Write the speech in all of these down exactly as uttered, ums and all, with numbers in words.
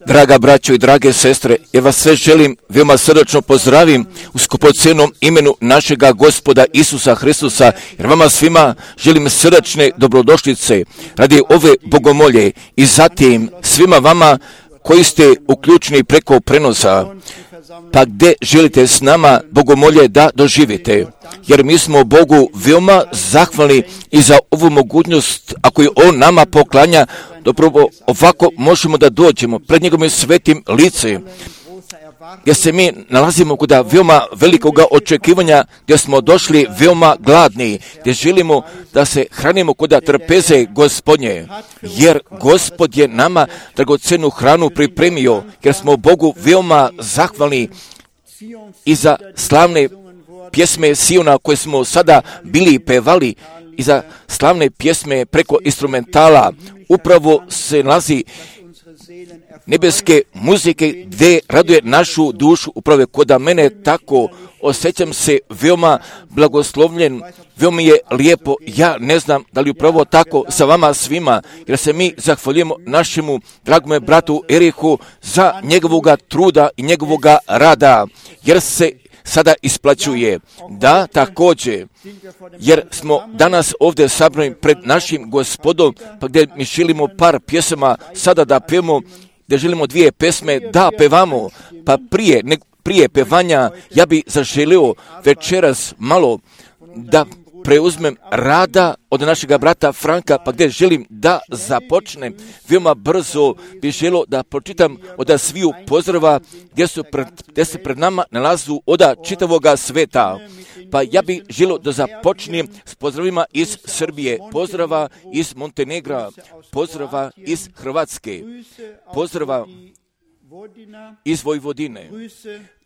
Draga braćo i drage sestre, ja vas sve želim veoma srdačno pozdravim u skupocenom imenu našega Gospoda Isusa Hristusa, jer vama svima želim srdačne dobrodošlice radi ove bogomolje i zatim svima vama koji ste uključeni preko prenosa, pa gdje želite s nama bogomolje da doživite, jer mi smo Bogu veoma zahvalni i za ovu mogućnost, ako je On nama poklanja, dobro ovako možemo da dođemo pred njegovim svetim licem, gdje se mi nalazimo kod veoma velikoga očekivanja, gdje smo došli veoma gladni, gdje želimo da se hranimo kod trpeze Gospodnje, jer Gospod je nama dragocenu hranu pripremio, jer smo Bogu veoma zahvalni i za slavne pjesme Siona koje smo sada bili pevali i za slavne pjesme preko instrumentala. Upravo se nalazi nebeske muzike gdje raduje našu dušu, upravo kod mene tako osjećam se veoma blagoslovljen, veoma je lijepo. Ja ne znam da li upravo tako sa vama svima, jer se mi zahvaljujemo našemu dragome bratu Erihu za njegovoga truda i njegovoga rada, jer se sada isplaćuje. Da, također, jer smo danas ovdje sabrani pred našim Gospodom, pa gdje mi želimo par pjesama sada da pevamo, gdje želimo dvije pesme da pevamo, pa prije, ne, prije pevanja ja bi zaželio večeras malo da preuzmem rada od našega brata Franka, pa gdje želim da započnem veoma brzo, bi želio da pročitam od sviju pozdrava gdje, su pred, gdje se pred nama nalazu od čitavoga sveta. Pa ja bih želio da započnem s pozdravima iz Srbije, pozdrava iz Montenegra, pozdrava iz Hrvatske, pozdrava iz Vojvodine,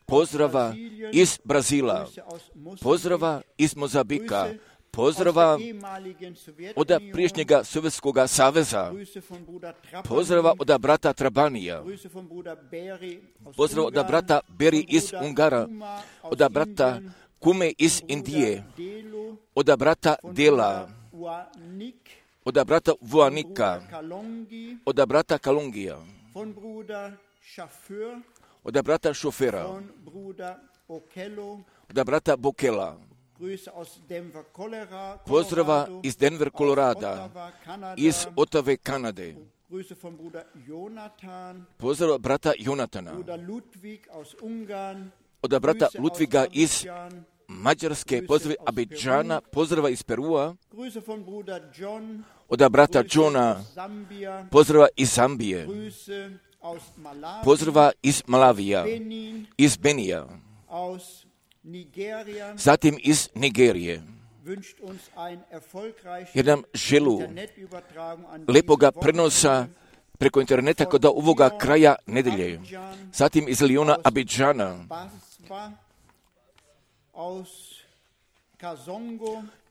pozdrava iz Brazila, pozdrava iz Mozambika, pozdrava od priješnjega Sovjetskog saveza, pozdrava od brata Trabanija, pozdrava od brata Beri iz Ungara, od brata Kume iz Indije, od brata Dela, od brata Vuanika, od brata Kalungija, od brata Šofera, od brata Bokela, pozdrava iz Denver, Kolorada, iz Otave, Kanade, pozdrava brata Jonatana, od brata Ludviga iz Mađarske, pozdrava Abidžana, pozdrava iz Perua, od brata Johna, pozdrava iz Zambije, pozdrava iz Malavija, iz Benija, zatim iz Nigerije, jer nam želu lepoga prenosa preko interneta kod ovoga kraja nedelje, zatim iz Liona, Abidžana,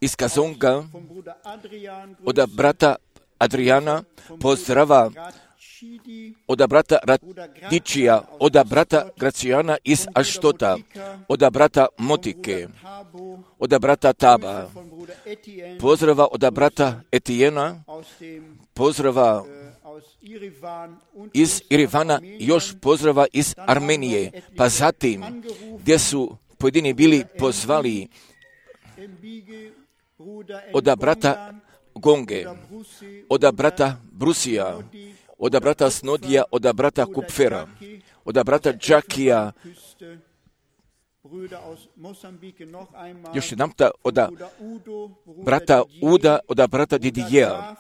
iz Kazonga, od brata Adriana, pozdrava od brata Radičija, od brata Gracijana iz Aštota, od brata Motike, od brata Taba, pozdrava od brata Etijena, pozdrava iz Irivana, još pozdrava iz Armenije, pa zatim gdje su pojedini bili pozvali od brata Gonge, od brata Brusija, od brata Snodija, od brata Kupfera, od brata Džakija, još jedan od brata Uda, od brata Didijeja,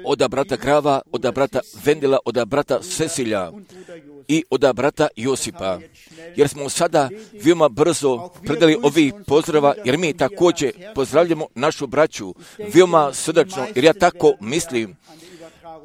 od brata Grava, od brata Vendela, od brata Cecilja i od brata Josipa. Jer smo sada veoma brzo predali ovih pozdrava, jer mi također pozdravljamo našu braću veoma srdačno, jer ja tako mislim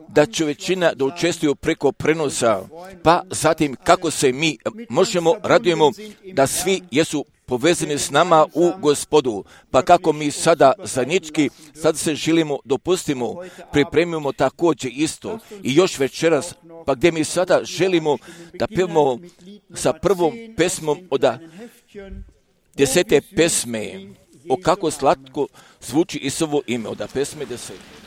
da će većina da učestvuju preko prenosa, pa zatim kako se mi možemo, radujemo da svi jesu povezani s nama u Gospodu, pa kako mi sada zajednički, sad se želimo, dopustimo, pripremimo također isto i još večeras, pa gdje mi sada želimo da pevamo sa prvom pesmom od desete pesme, o kako slatko zvuči Isusovo ime, od pesme desete.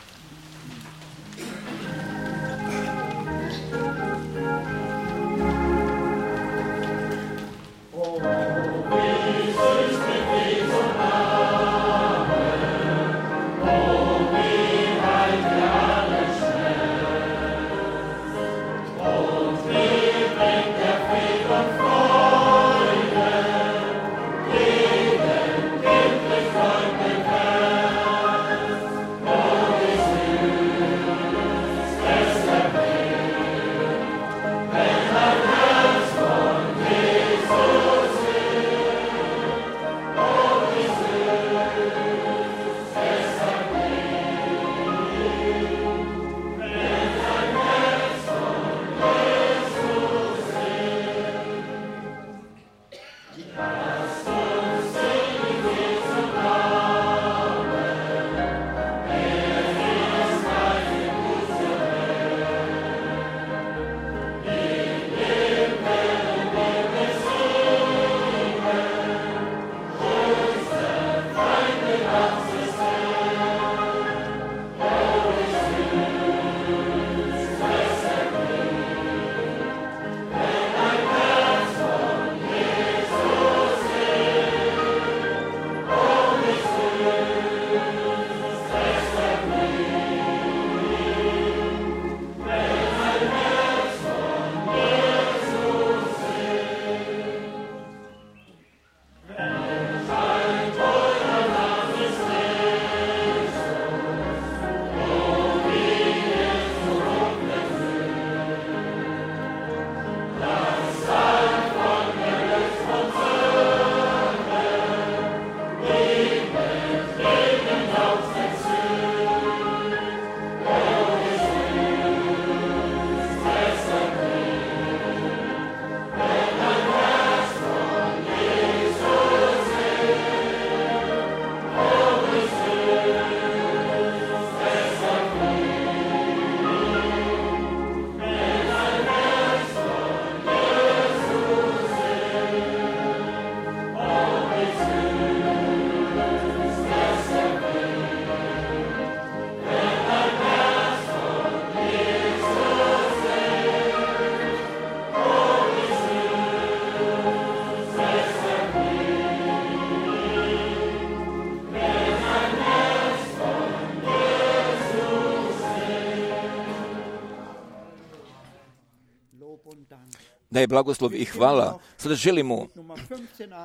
da je blagoslov i hvala. Sada želimo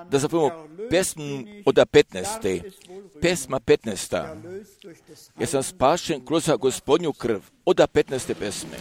da zapojemo pesmu od petnaeste. Pesma petnaesta. Ja sam spašen kroz Gospodnju krv. Od petnaeste pesme.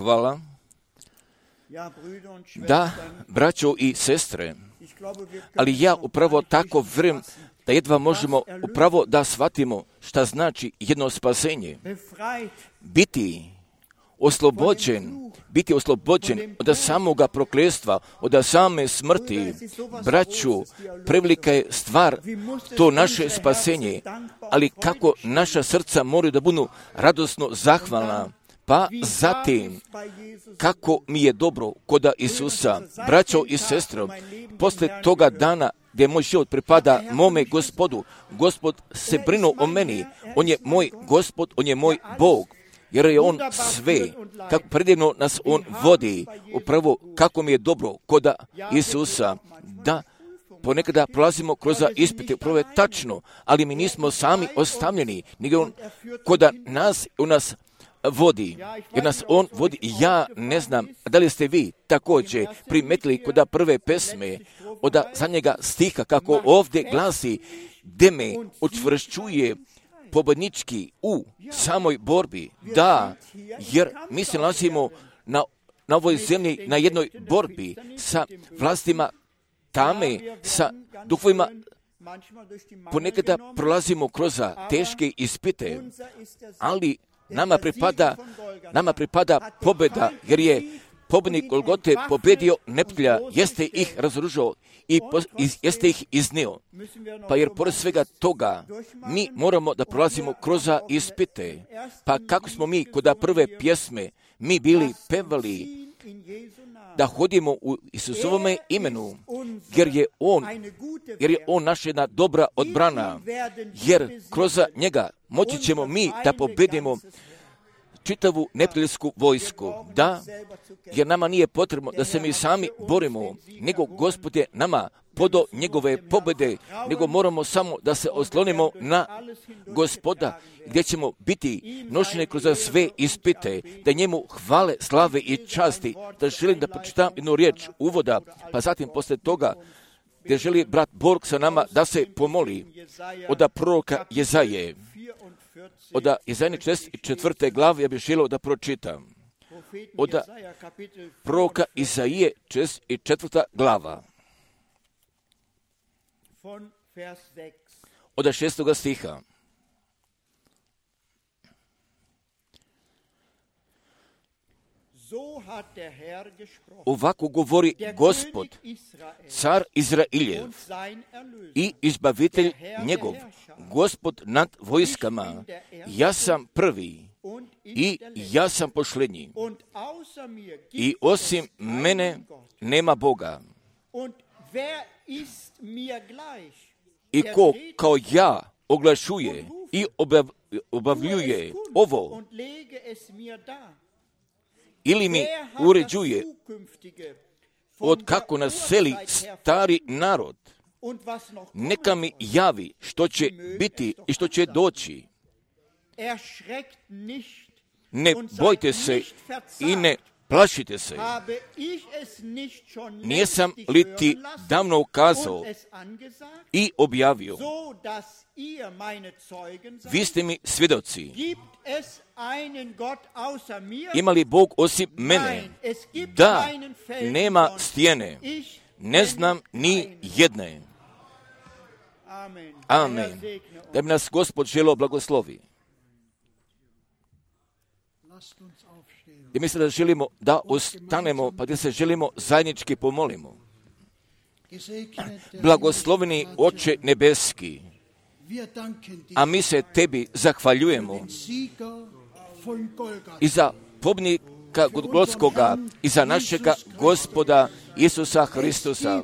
Hvala. Da, braćo i sestre, ali ja upravo tako vjerujem da jedva možemo upravo da shvatimo šta znači jedno spasenje. Biti oslobođen, biti oslobođen od samoga prokletstva, od same smrti. Braću, prevelika je stvar to naše spasenje, ali kako naša srca moraju da budu radosno zahvalna. Pa zatim, kako mi je dobro koda Isusa, braćo i sestro, posle toga dana gdje moj život pripada mome Gospodu, Gospod se brinu o meni, On je moj Gospod, On je moj Bog, jer je On sve, kako predivno nas On vodi, upravo kako mi je dobro koda Isusa, da ponekada prolazimo kroz ispite, upravo je tačno, ali mi nismo sami ostavljeni, nego On koda nas, u nas vodi, jer nas On vodi. Ja ne znam, da li ste vi također primetili kod prve pesme, od zadnjega stiha, kako ovdje glasi, gdje me učvršćuje pobjednički u samoj borbi. Da, jer mi se nalazimo na, na ovoj zemlji na jednoj borbi sa vlastima tame, sa duhovima. Ponekada prolazimo kroz teške ispite, ali nama pripada, nama pripada pobjeda, jer je pobjednik Golgote pobjedio neprijatelja, jeste ih razoružao i pos, iz, jeste ih iznio. Pa jer pored svega toga, mi moramo da prolazimo kroz ispite. Pa kako smo mi kod prve pjesme, mi bili pevali da hodimo u Isusovome imenu, jer je On, jer je On naša jedna dobra odbrana, jer kroz njega moći ćemo mi da pobjedimo čitavu neprijateljsku vojsku. Da, jer nama nije potrebno da se mi sami borimo, nego Gospod je nama podao njegove pobjede, nego moramo samo da se oslonimo na Gospoda, gdje ćemo biti nošeni kroz sve ispite, da njemu hvale, slave i časti. Da želim da pročitam jednu riječ uvoda, pa zatim posle toga, gdje želi brat Borg sa nama da se pomoli od proroka Jezaje. Od Jezajine četrdeset četvrte glave ja bih želio da pročitam. Od proroka Izaije četrdeset četvrta glava. Od šestoga stiha. Ovako govori Gospod, car Izrailjev i izbavitelj njegov, Gospod nad vojskama. Ja sam prvi i ja sam posljednji. I osim mene nema Boga. I ko kao ja oglašuje i obav, obavljuje ovo, ili mi uređuje od kako naseli stari narod, neka mi javi što će biti i što će doći. Ne bojte se i ne plašite se. Nijesam li ti davno ukazao i objavio? Vi ste mi svjedoci. Ima li Bog osim mene? Da, nema stijene. Ne znam ni jedne. Amen. Da bi nas Gospod želeo blagoslovi. I mislim da želimo da ostanemo, pa da se želimo zajednički pomolimo. Blagosloveni Oče nebeski, a mi se tebi zahvaljujemo i za pobjednika Golgotskoga i za našega Gospoda Isusa Hristusa.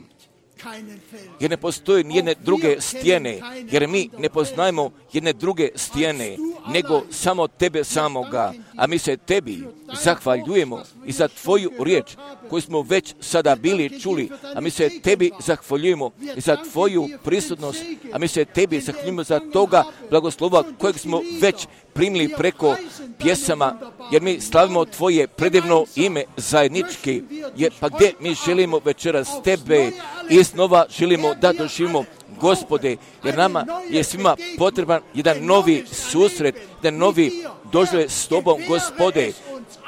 Jer ne postoje nijedne druge stijene, jer mi ne poznajemo jedne druge stijene, nego samo tebe samoga, a mi se tebi zahvaljujemo i za tvoju riječ koju smo već sada bili čuli, a mi se tebi zahvaljujemo i za tvoju prisutnost, a mi se tebi zahvaljujemo za toga blagoslova kojeg smo već primili preko pjesama, jer mi slavimo tvoje predivno ime zajednički, jer pa gdje mi želimo večeras tebe i snova želimo da doživimo Gospode, jer nama je svima potreban jedan novi susret, jedan novi doživljaj s tobom, Gospode.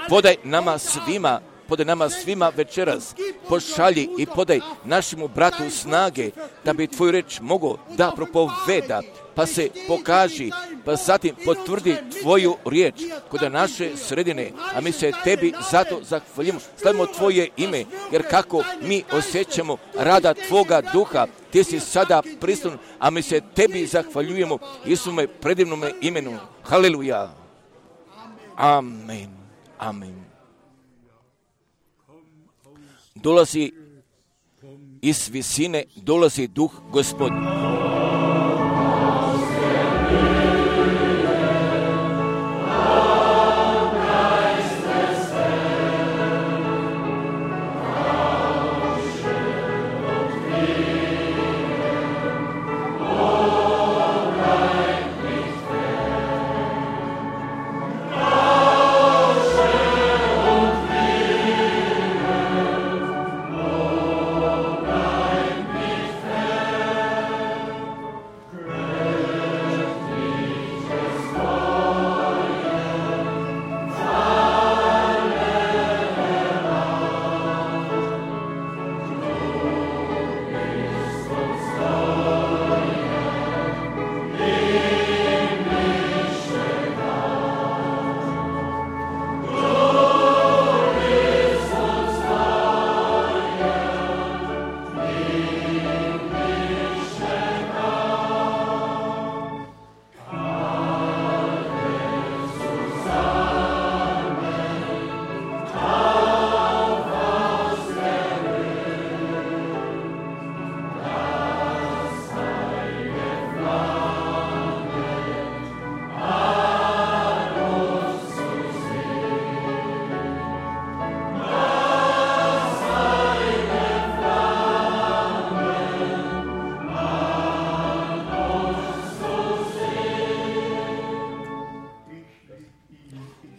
Podaj nama svima, podaj nama svima večeras, pošalji i podaj našemu bratu snage, da bi tvoju reč mogao da propoveda, pa se pokaži, pa zatim potvrdi tvoju riječ kod naše sredine, a mi se tebi zato zahvaljujemo, slavimo tvoje ime, jer kako mi osjećamo rada tvoga duha, ti si sada prisutan, a mi se tebi zahvaljujemo Isume predivnome imenu. Haleluja. Amen. Amen. Dolazi iz visine, dolazi duh Gospodin.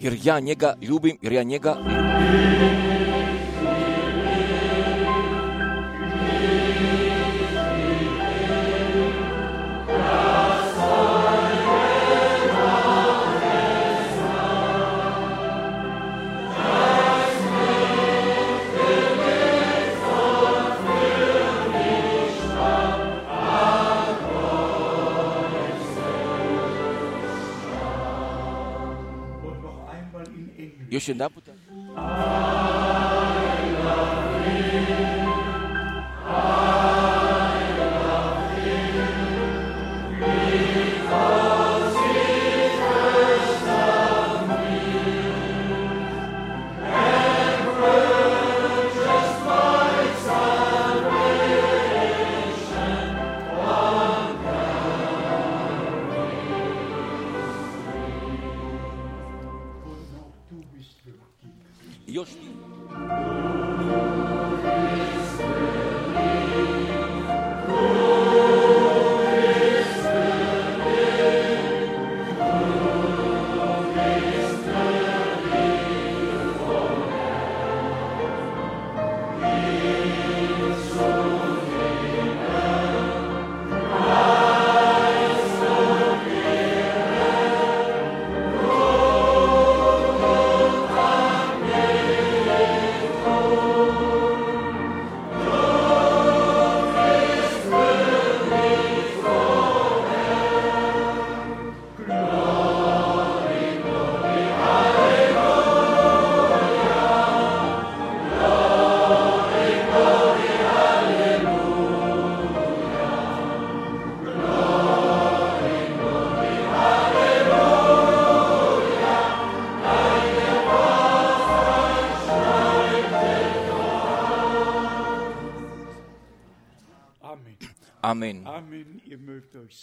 jer ja njega ljubim, jer ja njega ljubim. Još jedan puta. Još ti. Amen.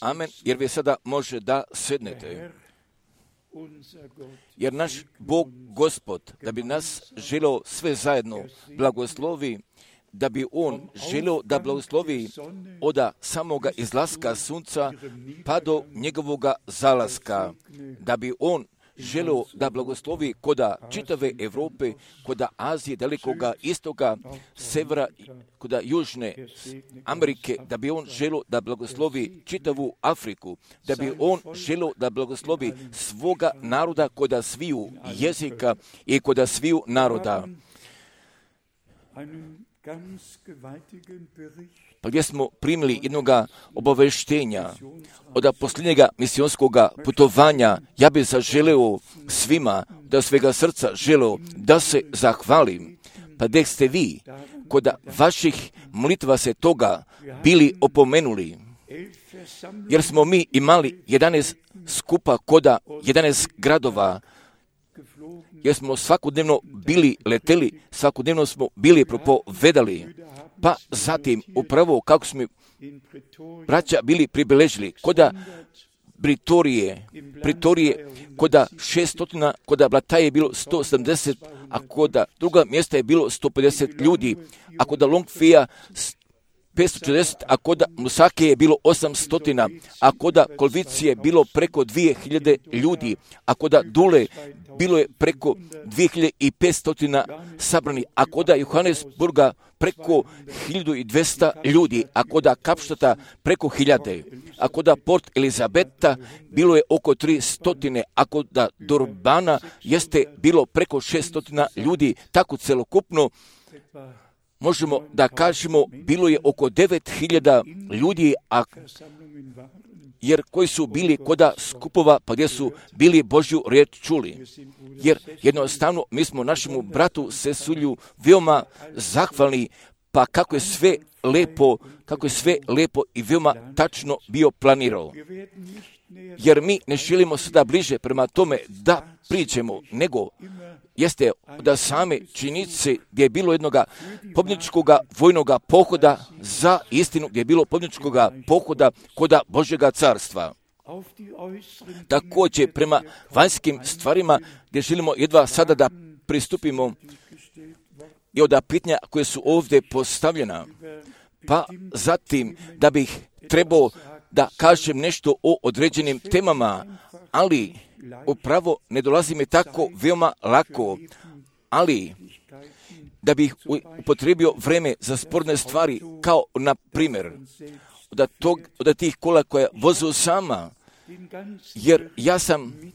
Amen. Jer vi sada može da sednete. Jer naš Bog, Gospod, da bi nas želio sve zajedno blagoslovi, da bi On želio da blagoslovi od samoga izlaska sunca pa do njegovoga zalaska, da bi On želio da blagoslovi koda čitave Evrope, koda Azije, Dalekoga istoka, severa, koda Južne Amerike, da bi On želio da blagoslovi čitavu Afriku, da bi On želio da blagoslovi svoga naroda koda sviju jezika i koda sviju naroda. Pa gdje smo primili jednoga obaveštenja od posljednjega misionskog putovanja, ja bih zaželeo svima da svega srca želeo da se zahvalim. Pa gdje ste vi, kod vaših molitva se toga bili opomenuli, jer smo mi imali jedanaest skupa koda jedanaest gradova, jer smo svakodnevno bili leteli, svakodnevno smo bili propovedali, pa zatim upravo kako smo braća bili pribeležili, koda Britorije, Britorije, koda šeststotina, koda Blataje je bilo sto sedamdeset, a koda druga mjesta je bilo sto pedeset ljudi, a koda Longfija petsto četrdeset, a koda Lusake je bilo osamsto, a koda Kolvicije je bilo preko dvije hiljade ljudi, a koda Dule bilo je preko dvije hiljade petsto sabrani, a koda Johannesburga preko hiljadu dvesta ljudi, a koda Kapštata preko hiljade, a koda Port Elizabeta bilo je oko tristo, a koda Durbana jeste bilo preko šeststo ljudi, tako celokupno možemo da kažemo bilo je oko devet hiljada ljudi, a jer koji su bili koda skupova, pa gdje su bili Božju riječ čuli. Jer jednostavno mi smo našemu bratu Sesulju veoma zahvalni, pa kako je sve lepo, kako je sve lepo i veoma tačno bio planirao. Jer mi ne želimo sada bliže prema tome da priđemo, nego jeste da same činjenice gdje je bilo jednoga pobjedničkog vojnoga pohoda za istinu, gdje je bilo pobjedničkog pohoda koda Božjega carstva. Također prema vanjskim stvarima gdje želimo jedva sada da pristupimo i od pitanja koje su ovdje postavljena, pa zatim da bih trebao da kažem nešto o određenim temama, ali upravo ne dolazi mi tako veoma lako, ali da bih upotrebio vreme za sporne stvari, kao na primjer od, tog, od tih kola koja vozu sama, jer ja sam,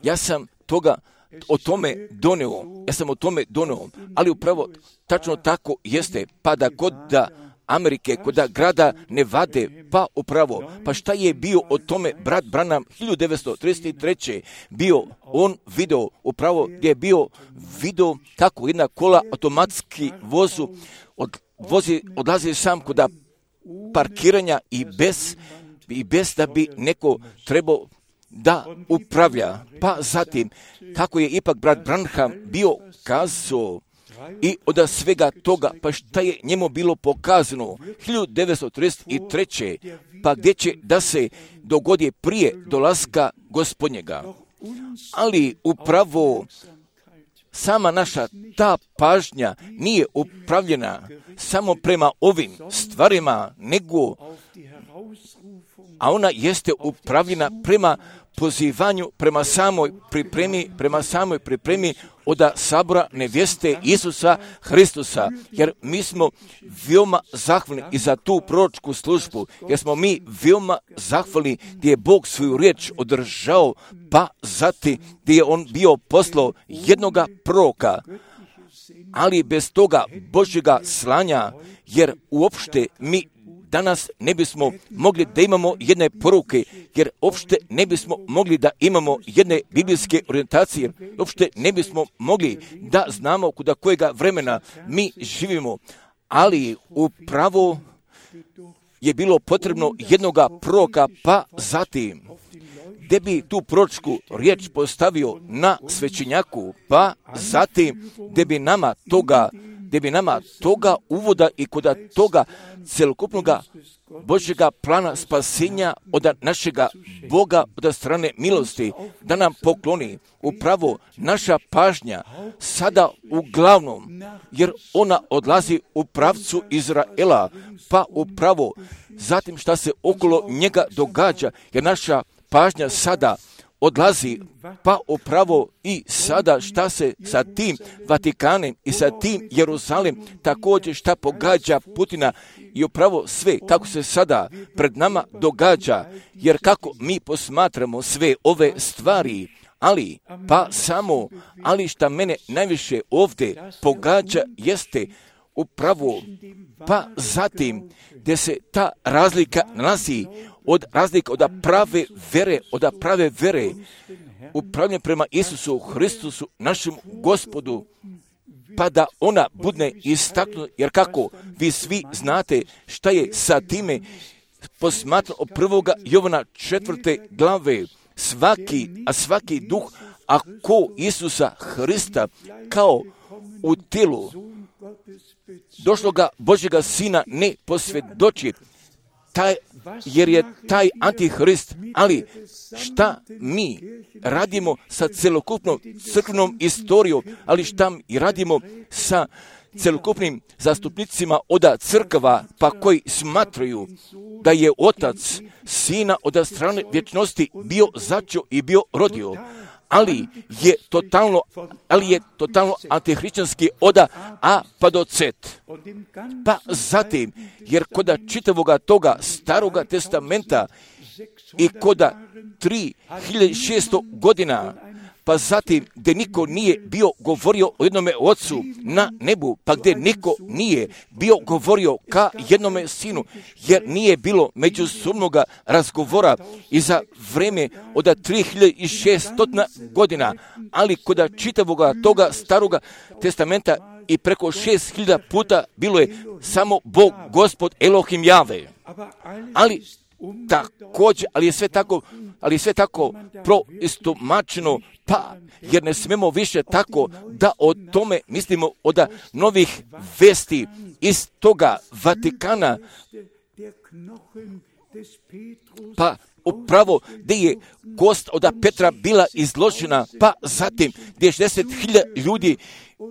ja sam toga o tome doneo, ja sam o tome doneo, ali upravo tačno tako jeste, pa da kod da Amerike, kod da grada Nevade, pa upravo, pa šta je bio o tome brat Branham hiljadu devetsto trideset treće bio, on video, upravo gdje je bio video kako jedna kola automatski vozu, od, vozi, odlazi sam kod da parkiranja i bez, i bez da bi neko trebao da upravlja. Pa zatim, kako je ipak brat Branham bio kazao i od svega toga, pa šta je njemu bilo pokazano hiljadu devetsto trideset treće pa gdje će da se dogodi prije dolaska Gospodnjega. Ali upravo sama naša ta pažnja nije upravljena samo prema ovim stvarima, nego a ona jeste upravljena prema pozivanju, prema samoj pripremi, prema samoj pripremi od sabora nevjeste Isusa Hristusa, jer mi smo veoma zahvalni i za tu proročku službu, jer smo mi veoma zahvalni gdje je Bog svoju riječ održao, pa zatim gdje je on bio poslao jednoga proroka, ali bez toga Božjega slanja, jer uopšte mi danas ne bismo mogli da imamo jedne poruke, jer uopšte ne bismo mogli da imamo jedne biblijske orijentacije, uopšte ne bismo mogli da znamo kuda kojega vremena mi živimo, ali upravo je bilo potrebno jednoga proroka, pa zatim gdje bi tu proročku riječ postavio na svećenjaku, pa zatim gdje bi nama toga gdje bi nama toga uvoda i kod toga celokupnog Božjega plana spasenja od našega Boga od strane milosti da nam pokloni. Upravo naša pažnja sada uglavnom, jer ona odlazi u pravcu Izraela, pa upravo zatim šta se okolo njega događa, jer naša pažnja sada odlazi, pa upravo i sada šta se sa tim Vatikanem i sa tim Jerusalim također šta pogađa Putina i upravo sve kako se sada pred nama događa, jer kako mi posmatramo sve ove stvari, ali pa samo, ali šta mene najviše ovdje pogađa jeste upravo, pa zatim gdje se ta razlika nalazi od razlika od prave vere, od prave vere, upravljanje prema Isusu Hristusu, našem Gospodu, pa da ona bude istaknuta, jer kako vi svi znate šta je sa time posmatrano od prvoga Jovana četvrte glave, svaki, a svaki duh, ako Isusa Hrista kao u tijelu došloga Božjega Sina ne posvjedoči, taj, jer je taj antihrist, ali šta mi radimo sa celokupnom crkvenom istorijom, ali šta mi radimo sa celokupnim zastupnicima od crkva, pa koji smatraju da je otac Sina od strane vječnosti bio začeo i bio rodio, ali je totalno, ali je totalno antihrišćanski od A pa do Z. Pa zatim, jer koda čitavoga toga staroga testamenta i koda tri hiljade šesto godina, pa zatim gdje niko nije bio govorio o jednome ocu na nebu, pa gdje niko nije bio govorio ka jednome sinu, jer nije bilo međusobnoga razgovora i za vreme od tri hiljade šesto godina, ali kod čitavoga toga staroga testamenta i preko šest hiljada puta bilo je samo Bog, Gospod, Elohim, Jave. Ali također, ali je sve tako, ali je sve tako proistomačeno, pa jer ne smemo više tako da o tome mislimo od novih vesti iz toga Vatikana, pa upravo gdje je kost od Petra bila izložena, pa zatim gdje je šezdeset hiljada ljudi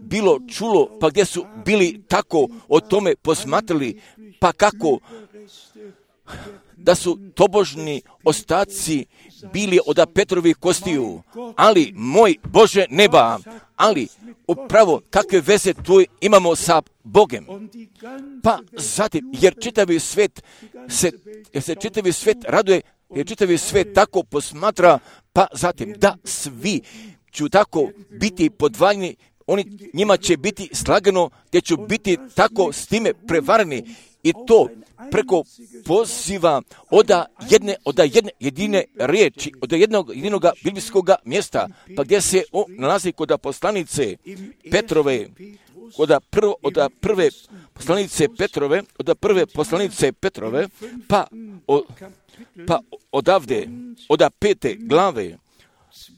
bilo čulo, pa gdje su bili tako o tome posmatrali, pa kako da su tobožni ostaci bili od Petrovih kostiju, ali moj Bože neba, ali upravo kakve veze tu imamo sa Bogem. Pa zatim, jer čitavi svet se, jer se čitavi svet raduje, jer čitavi svet tako posmatra, pa zatim da svi ću tako biti podvaljeni, oni, njima će biti slagano, gdje ću biti tako s time prevareni i to preko poziva oda jedne, oda jedne jedine riječi, od jednog jedinog biblijskog mjesta, pa gdje se on nalazi kod poslanice Petrove, od prvo, od prve poslanice Petrove, od prve poslanice Petrove, pa, o, pa odavde, od pete glave,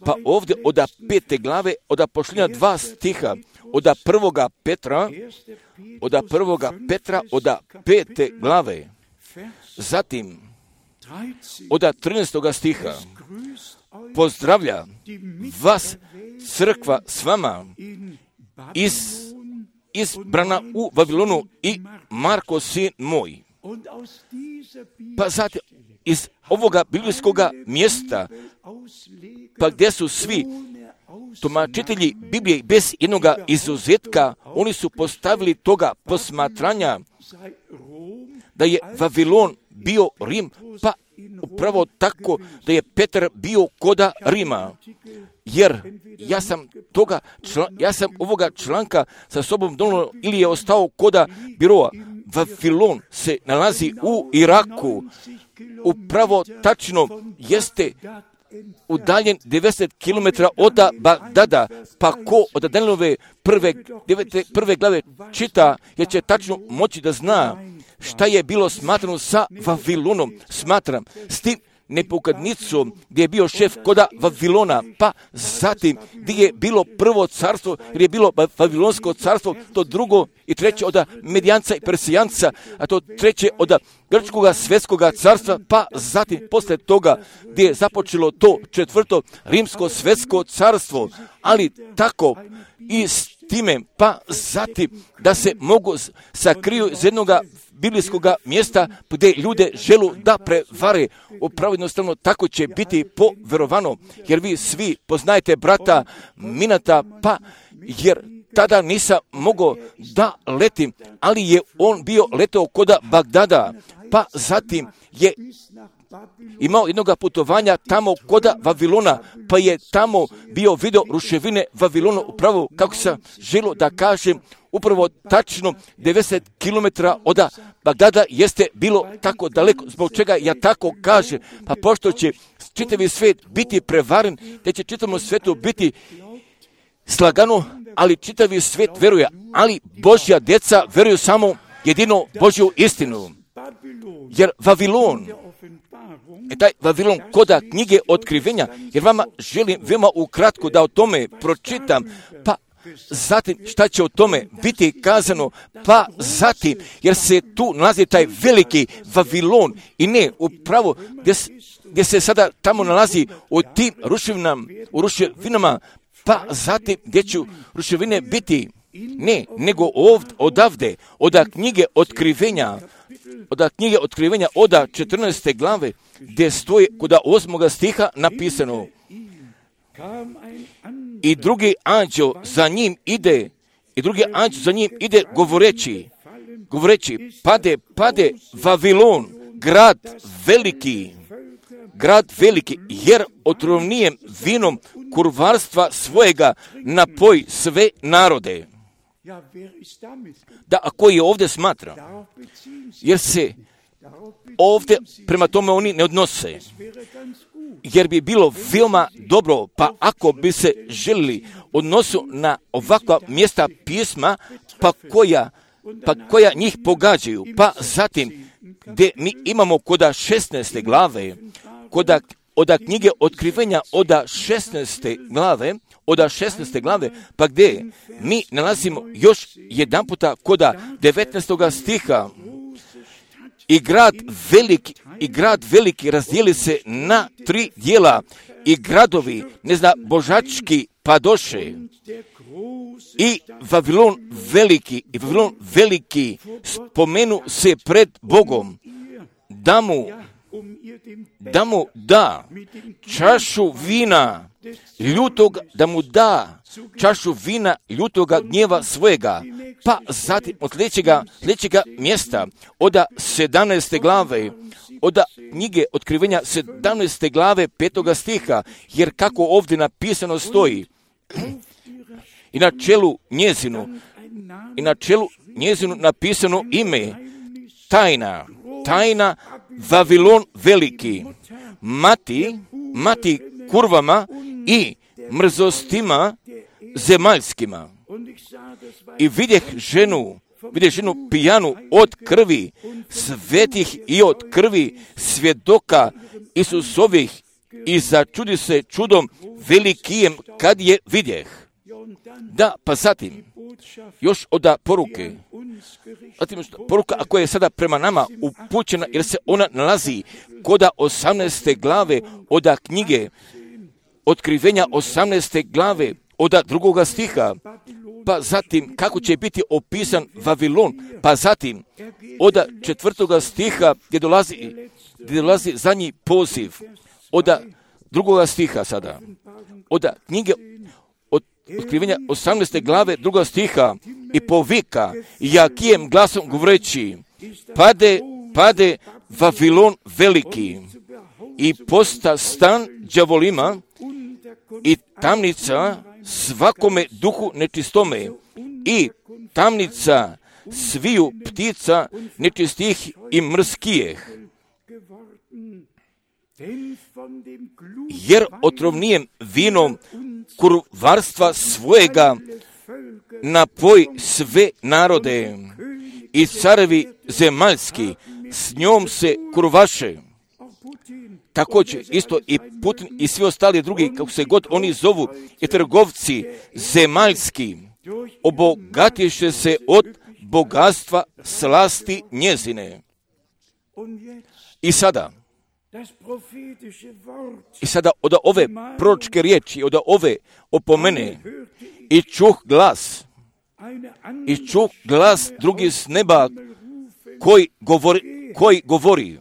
pa ovdje od pete glave, od pošljenja dva stiha, od prvoga Petra, od prvoga Petra, od pete glave. Zatim, od trinaestoga stiha, pozdravlja vas crkva s vama iz, izbrana u Vavilonu i Marko sin moj. Pa zatim, iz ovoga biblijskog mjesta, pa gdje su svi tumačitelji Biblije bez jednog izuzetka, oni su postavili toga posmatranja da je Vavilon bio Rim, pa upravo tako da je Petar bio koda Rima. Jer ja sam toga, član, ja sam ovoga članka sa sobom donio ili je ostao koda biroa. Vavilon se nalazi u Iraku, upravo tačno jeste udaljen devedeset kilometara od Bagdada, pa ko od Danielove prve, devete, prve glave čita, jer će tačno moći da zna šta je bilo smatrano sa Vavilonom. Smatram s tim Nebukadnicom, gdje je bio šef koda Vavilona, pa zatim gdje je bilo prvo carstvo, jer je bilo Vavilonsko carstvo, to drugo i treće od Medijanca i Persijanca, a to treće od Grčkoga svjetskog carstva, pa zatim posle toga gdje je započelo to četvrto Rimsko svjetsko carstvo, ali tako i s time, pa zatim da se mogu sakriju iz jednog biblijskog mjesta gdje ljude želu da prevare. Upravo jednostavno tako će biti poverovano, jer vi svi poznajete brata Minata, pa jer tada nisam mogao da letim, ali je on bio letao koda Bagdada, pa zatim je imao jednog putovanja tamo koda Vavilona, pa je tamo bio video ruševine Vavilona, upravo kako sam želio da kažem, upravo tačno devedeset kilometara od Bagdada jeste bilo tako daleko. Zbog čega ja tako kažem? Pa pošto će čitavi svijet biti prevaren, te će čitavom svijetu biti slagano, ali čitavi svijet veruje, ali Božja djeca veruju samo jedino Božju istinu. Jer Vavilon, e taj Vavilon koda knjige otkrivenja, jer vama želim veoma ukratko da o tome pročitam, pa zatim šta će o tome biti kazano, pa zatim, jer se tu nalazi taj veliki Vavilon i ne upravo gdje, gdje se sada tamo nalazi u tim ruševinama, u ruševinama, pa zatim gdje će ruševine biti, ne, nego ovdje, odavde, od knjige otkrivenja, od knjige otkrivenja, od četrnaeste glave, gdje stoji kod osmoga stiha napisano: i drugi anđeo za njim ide, i drugi anđeo za njim ide govoreći, govoreći, pade, pade Vavilon, grad veliki, grad veliki, jer otrovnijem vinom kurvarstva svojega napoj sve narode. Da, a koji je ovdje smatra? Jer se ovdje prema tome oni ne odnose. Jer bi bilo veoma dobro, pa ako bi se želili odnosu na ovakva mjesta pisma, pa koja, pa koja njih pogađaju, pa zatim gdje mi imamo koda šesnaeste glave, koda od knjige otkrivenja od šesnaeste glave, od šesnaeste glave, pa gdje mi nalazimo još jedan puta koda devetnaestoga stiha, i grad veliki, i grad veliki razdijeli se na tri dijela, i gradovi, ne zna, božački padoše, i Vavilon veliki, i Vavilon veliki spomenu se pred Bogom, da mu, da mu da čašu vina ljutog, da mu da čašu vina ljutoga gnjeva svojega. Pa zatim od sljedećega, sljedećega mjesta, od sedamnaeste glave, od knjige Otkrivenja sedamnaeste glave petoga stiha, jer kako ovdje napisano stoji, i na čelu njezinu, i na čelu njezinu napisano ime, tajna, tajna Vavilon veliki, mati, mati kurvama i mrzostima zemaljskima. I vidjeh ženu, vidjeh ženu pijanu od krvi svetih i od krvi svjedoka Isusovih i začudi se čudom velikijem kad je vidjeh. Da, pa zatim, još od poruke, zatim poruka koja je sada prema nama upućena, jer se ona nalazi kod osamnaeste glave od knjige Otkrivenja osamnaeste glave od drugoga stiha, pa zatim kako će biti opisan Vavilon, pa zatim od četvrtoga stiha gdje dolazi, gdje dolazi zadnji poziv, od drugoga stiha sada, od knjige od Otkrivenja osamnaeste glave drugoga stiha i povika jakijem glasom govoreći, pade, pade Vavilon veliki i posta stan đavolima i tamnica svakome duhu nečistome i tamnica sviju ptica nečistih i mrskijeh. Jer otrovnijem vinom kurvarstva svojega napoj sve narode i carevi zemaljski s njom se kurvaše. Također isto i Putin i svi ostali drugi, kako se god oni zovu, i trgovci zemaljski, obogatiše se od bogatstva slasti njezine. I sada, i sada od ove proročke riječi, od ove opomene, i čuh glas, i čuh glas drugi s neba koji govori, koji govori,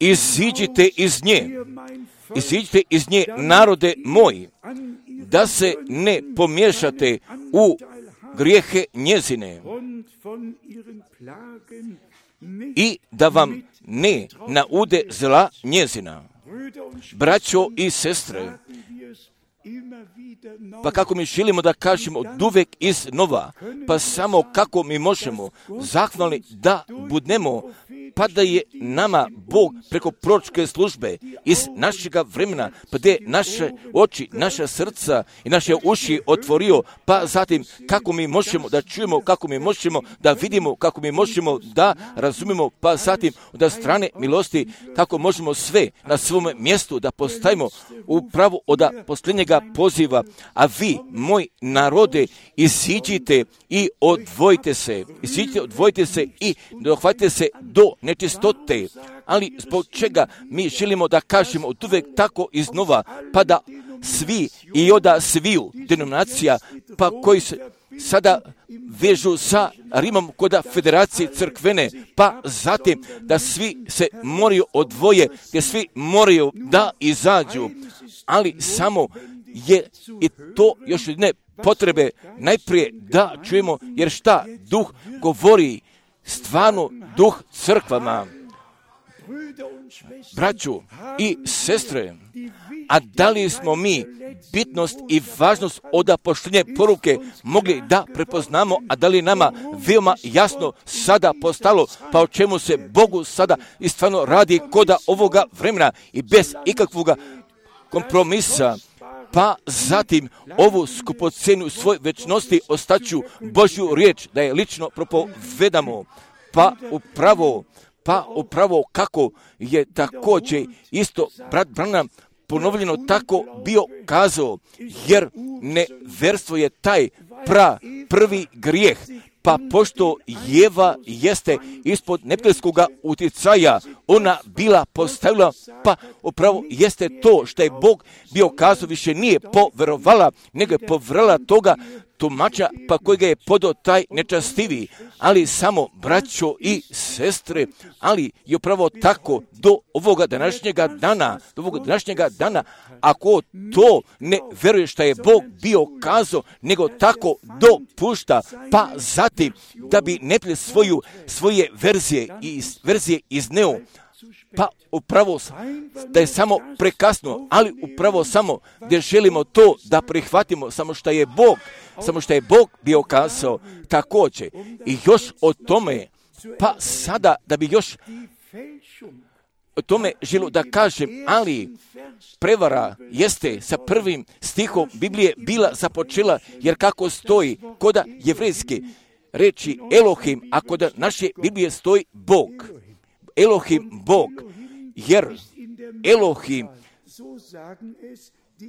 iziđite iz nje, iziđite iz nje, narode moji, da se ne pomiješate u grijehe njezine i da vam ne naude zla njezina. Braćo i sestre, pa kako mi želimo da kažemo od uvek iznova, pa samo kako mi možemo zahvalni da budemo, pa da je nama Bog preko proročke službe iz našega vremena, pa da je naše oči, naša srca i naše uši otvorio, pa zatim kako mi možemo da čujemo, kako mi možemo da vidimo, kako mi možemo da razumimo, pa zatim od strane milosti kako možemo sve na svom mjestu da postavimo upravo od posljednjega poziva, a vi, moj narode, iziđite i odvojite se, iziđite, odvojite se i dohvatite se do nečistote. Ali zbog čega mi želimo da kažemo od uvek tako iznova, pa da svi i od sviju denominacija, pa koji se sada vežu sa Rimom kod federacije crkvene, pa zatim da svi se moraju odvoje, gdje svi moraju da izađu, ali samo je i to još ne potrebe najprije da čujemo, jer šta duh govori, stvarno duh crkvama. Braću i sestre, a da li smo mi bitnost i važnost od poštenje poruke mogli da prepoznamo, a da li nama veoma jasno sada postalo, pa o čemu se Bogu sada i stvarno radi koda ovoga vremena i bez ikakvog kompromisa, pa zatim ovu skupocenu svoj večnosti ostaću Božju riječ da je lično propovedamo, pa upravo, pa upravo kako je također isto brat Branham ponovljeno tako bio kazao, jer neverstvo je taj pra prvi grijeh, pa pošto Jeva jeste ispod neprijateljskog utjecaja, ona bila postavila, pa upravo jeste to što je Bog bio kazao, više nije poverovala, nego je povrala toga tumača, pa kojega je podao taj nečastivi, ali samo braćo i sestre, ali je upravo tako do ovoga današnjega dana, do ovoga današnjega dana, ako to ne veruje što je Bog bio kazao, nego tako dopušta, pa zatim da bi neprijatelj svoju, svoje verzije, iz, verzije izneo, pa upravo da je samo prekasno, ali upravo samo gdje želimo to da prihvatimo, samo što je Bog, samo što je Bog bio kazao također. I još o tome, pa sada da bi još o tome želio da kažem, ali prevara jeste sa prvim stihom Biblije bila započela, jer kako stoji koda jevrejske reči Elohim, a kod naše Biblije stoji Bog. Elohim, Bog, jer Elohim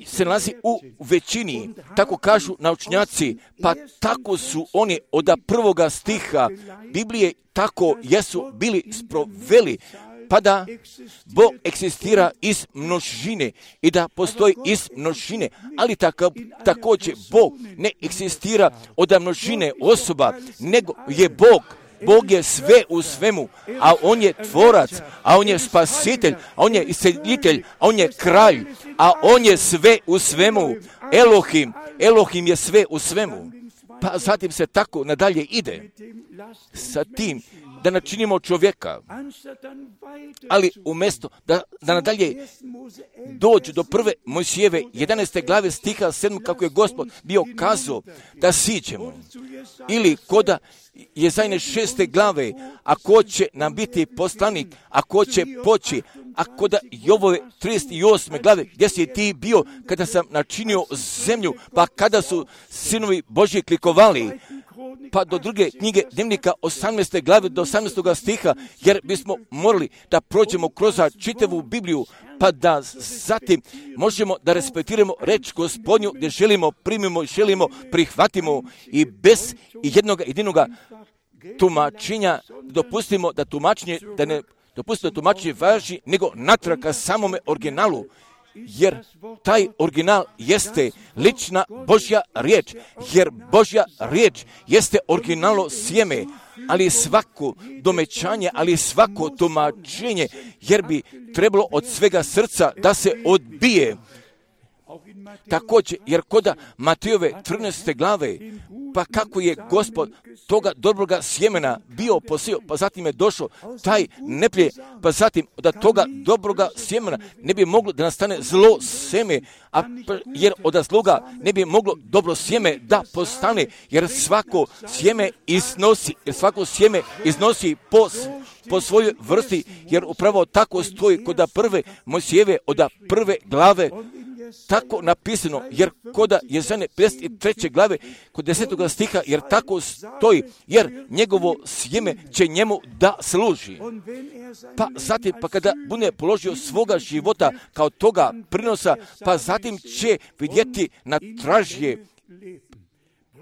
se nalazi u većini, tako kažu naučnjaci, pa tako su oni od prvoga stiha Biblije, tako jesu bili sproveli, pa da Bog eksistira iz množine i da postoji iz množine, ali tako, također Bog ne eksistira od množine osoba, nego je Bog. Bog je sve u svemu, a On je tvorac, a On je spasitelj, a On je isceljitelj, a On je kralj, a On je sve u svemu. Elohim, Elohim je sve u svemu. Pa zatim se tako nadalje ide sa tim da načinimo čovjeka, ali umjesto da, da nadalje dođu do prve Mojsijeve jedanaeste glave stiha sedam, kako je Gospod bio kazao da siđemo, ili koda Jezajne šeste glave, a ko će nam biti poslanik, a ko će poći, a koda Jovove trideset osme glave, gdje si ti bio kada sam načinio zemlju, pa kada su sinovi Božji klikovali, pa do druge knjige Dnevnika osamnaeste glave do osamnaestog stiha, jer bismo morali da prođemo kroz čitavu Bibliju, pa da zatim možemo da respektiramo reč Gospodnju, gdje želimo primimo i želimo prihvatimo i bez jednog jedinoga tumačenja dopustimo da tumačenje, da ne dopustimo da tumačenje važi, nego natrag ka samome originalu. Jer taj original jeste lična Božja riječ, jer Božja riječ jeste originalno sjeme, ali svako domećanje, ali svako tumačenje, jer bi trebalo od svega srca da se odbije. Također, jer koda Matejove trinaeste glave, pa kako je Gospod toga dobroga sjemena bio posio, pa zatim je došao taj neprijatelj, pa zatim da toga dobroga sjemena ne bi moglo da nastane zlo sjeme, a jer od zloga ne bi moglo dobro sjeme da postane, jer svako sjeme iznosi, jer svako sjeme iznosi po, po svojoj vrsti, jer upravo tako stoji kod prve Mojsijeve od prve glave, tako napisano, jer koda Jezajne pedeset treće glave, kod desetog stiha, jer tako stoji, jer njegovo sjeme će njemu da služi. Pa zatim, pa kada bude položio svoga života kao toga prinosa, pa zatim će vidjeti na tražje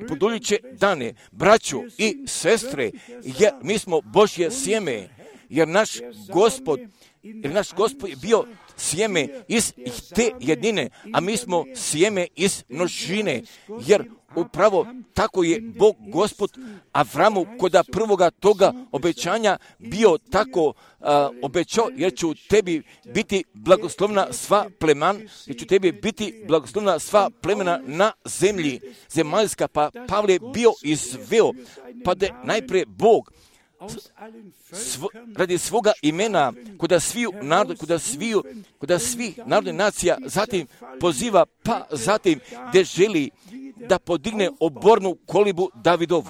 buduće dane, braću i sestre, jer mi smo Božje sjeme, jer naš Gospod, jer naš Gospod je bio sjeme iz te jedine, a mi smo sjeme iz množine, jer upravo tako je Bog Gospod Avramu koda prvoga toga obećanja bio tako uh, obećao, jer će u tebi biti blagoslovna sva pleman, jer će u tebi biti blagoslovna sva plemena na zemlji zemaljska, pa Pavle je bio izveo, pa da najprije Bog Svo, radi svoga imena kuda sviju narod, kuda sviju, kuda svih narodnih nacija zatim poziva, pa zatim gdje želi da podigne obornu kolibu Davidovu.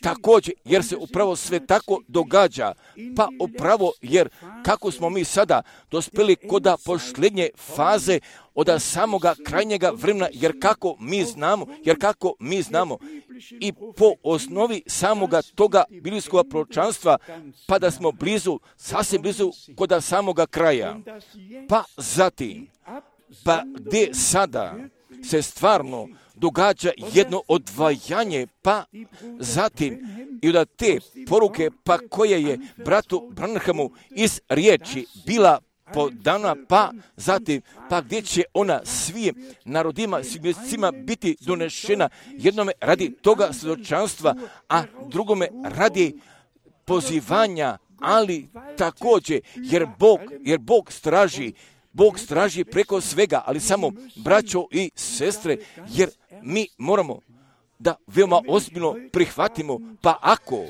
Također, jer se upravo sve tako događa, pa upravo jer kako smo mi sada dospjeli koda posljednje faze od samoga krajnjega vremena, jer kako mi znamo, jer kako mi znamo i po osnovi samoga toga biblijskog proročanstva, pa da smo blizu, sasvim blizu koda samoga kraja. Pa zatim, pa gdje sada se stvarno događa jedno odvajanje, pa zatim i od te poruke, pa koje je bratu Branhamu iz riječi bila po dana, pa zatim, pa gdje će ona svim narodima, svim mjesecima biti donešena, jednome radi toga svjedočanstva, a drugome radi pozivanja, ali također, jer Bog, jer Bog straži, Bog straži preko svega, ali samo braćo i sestre, jer mi moramo da veoma ozbiljno prihvatimo, pa ako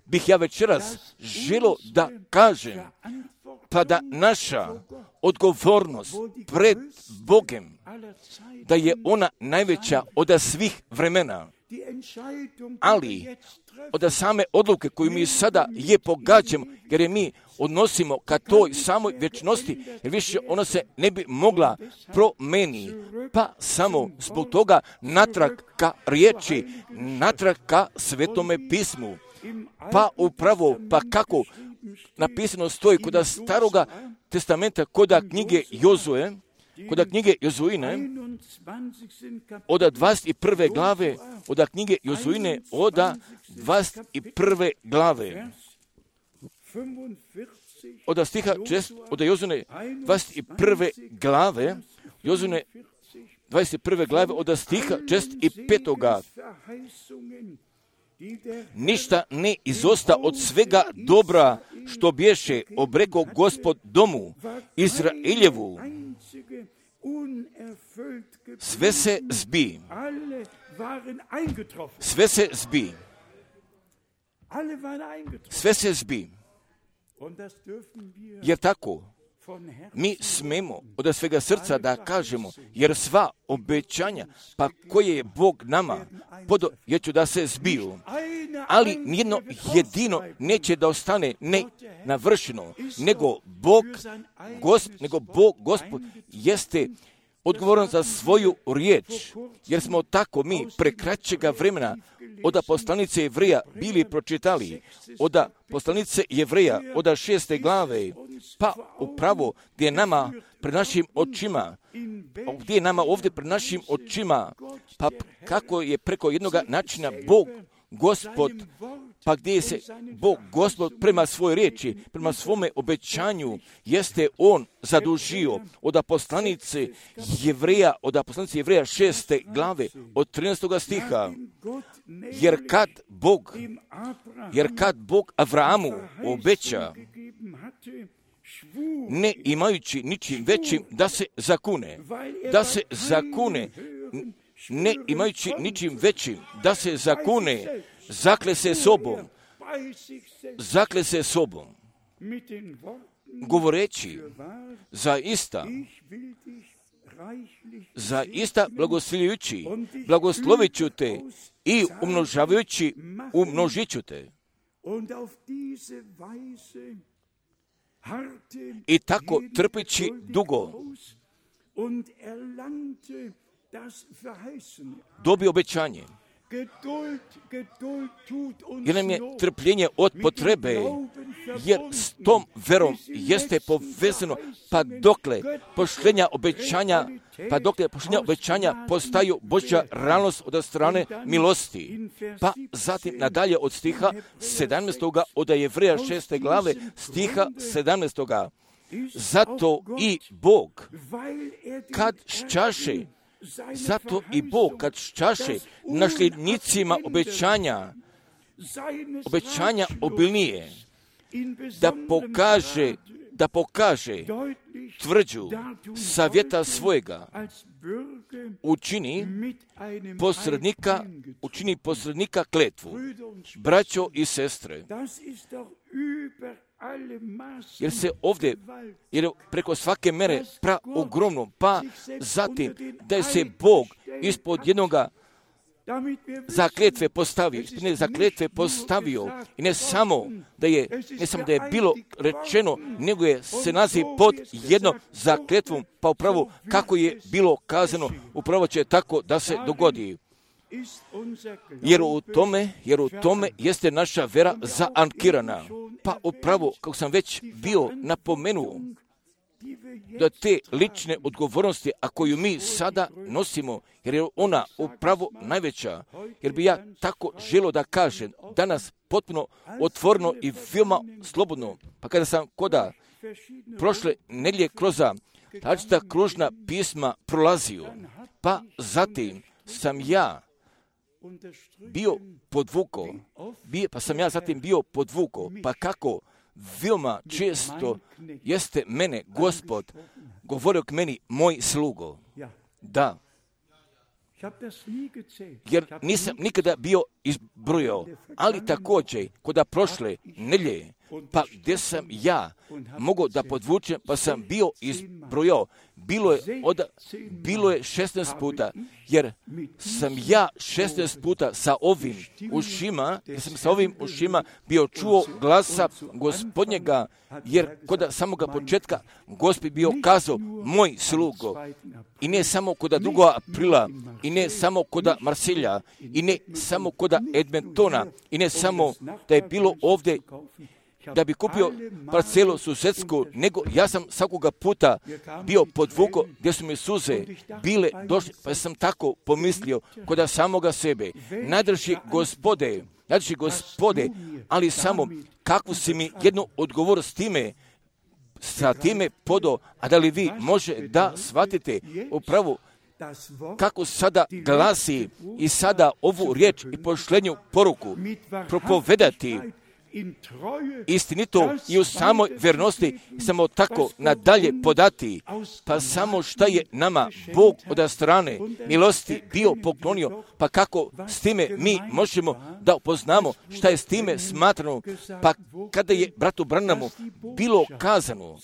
bih ja večeras želio da kažem, pa da naša odgovornost pred Bogem, da je ona najveća od svih vremena, ali od same odluke koju mi sada je pogađamo, jer je mi odnosimo ka toj samoj vječnosti, jer više ona se ne bi mogla promeni, pa samo zbog toga natrag ka riječi, natrag ka Svetome pismu, pa upravo, pa kako napisano stoji kod Staroga testamenta, kod knjige Jozue, kod knjige Jozuine, od dvadeset prve glave, od knjige Jozuine, od dvadeset prve glave, od stiha šest, od Jozuine dvadeset prve glave, Jozuine dvadeset prve glave, od stiha šest i petoga. Ništa ne izosta od svega dobra što bješe obreko Gospod domu Izraeljevu. Sve se zbi. Sve se zbi. Sve se zbi. Jer tako mi smemo od svega srca da kažemo, jer sva obećanja, pa koje je Bog nama podo, jer ću da se zbiju, ali nijedno jedino neće da ostane ne navršeno, nego Bog, Gosp, nego Bog, Gospod, jeste odgovoran za svoju riječ, jer smo tako mi prekraćega vremena od poslanice Jevreja bili pročitali, od poslanice Jevreja, od šeste glave, pa upravo gdje je nama pred našim očima, gdje je nama ovdje pred našim očima, pa kako je preko jednog načina Bog, Gospod, pa gdje se Bog, Gospod, prema svojoj riječi, prema svome obećanju, jeste On zadužio od poslanice Jevreja, od poslanice Jevreja šeste glave, od trinaestog stiha, jer kad Bog, jer kad Bog Avrahamu obeća, ne imajući ničim većim da se zakune, da se zakune, ne imajući ničim većim da se zakune, zakle se sobom, zakle se sobom, govoreći zaista, zaista blagoslovljujući, blagoslovit ću te i umnožavajući, umnožit ću te. I tako trpeći dugo dobio obećanje. Jer nam je trpljenje od potrebe, jer s tom verom jeste povezano, pa dokle poštenja obećanja, pa dokle poštenja obećanja postaju Božja realnost od strane milosti. Pa zatim nadalje od stiha sedamnaestog od Jevreja šeste glave, stiha sedamnaestog. Zato i Bog, kad ščaše, zato i Bog kad ščaše nasljednicima obećanja, obećanja obilnije, da pokaže, da pokaže tvrđu savjeta svojega, učini posrednika, učini posrednika kletvu. Braćo i sestre, jer se ovdje, jer preko svake mere pra ogromno, pa zatim da je se Bog ispod jednoga zakletve postavio, ispod ne zakletve postavio i ne samo da je, ne samo da je bilo rečeno, nego je se nalazi pod jednom zakletvom, pa upravo kako je bilo kazano, upravo će tako da se dogodi. Jer u tome, jer u tome jeste naša vera zaankirana. Pa upravo, kako sam već bio napomenuo, da te lične odgovornosti, a koju mi sada nosimo, jer je ona upravo najveća, jer bi ja tako želio da kažem, danas potpuno otvoreno i veoma slobodno, pa kada sam koda prošle nedjelje kroz različita kružna pisma prolazio, pa zatim sam ja bio podvuko, bio, pa sam ja zatim bio podvuko, pa kako veoma često jeste mene Gospod govorio k meni, moj slugo. Da, jer nisam nikada bio izbrojao, ali također kod prošle nedjelje, pa gdje sam ja mogao da podvučem, pa sam bio izbrojao, bilo je, od, bilo je šesnaest puta, jer sam ja šesnaest puta sa ovim ušima, jer sam sa ovim ušima bio čuo glasa Gospodnjega, jer kod samoga početka Gospod bio kazao, moj slugo, i ne samo kod drugog aprila, i ne samo kod Marsilja, i ne samo kod Edmontona, i ne samo da je bilo ovdje da bi kupio parcelu susedsku, nego ja sam svakoga puta bio podvuko gdje su mi suze bile došle, pa sam tako pomislio kod samoga sebe. Nadrži Gospode, nadrži Gospode, ali samo kakvu si mi jednu odgovor s time, sa time podo, a da li vi može da shvatite upravo kako sada glasi i sada ovu riječ i pošlenju poruku propovedati istinito i u samoj vjernosti, samo tako nadalje podati, pa samo šta je nama Bog od strane milosti bio poklonio, pa kako s time mi možemo da upoznamo šta je s time smatrano, pa kada je bratu Branhamu bilo kazano,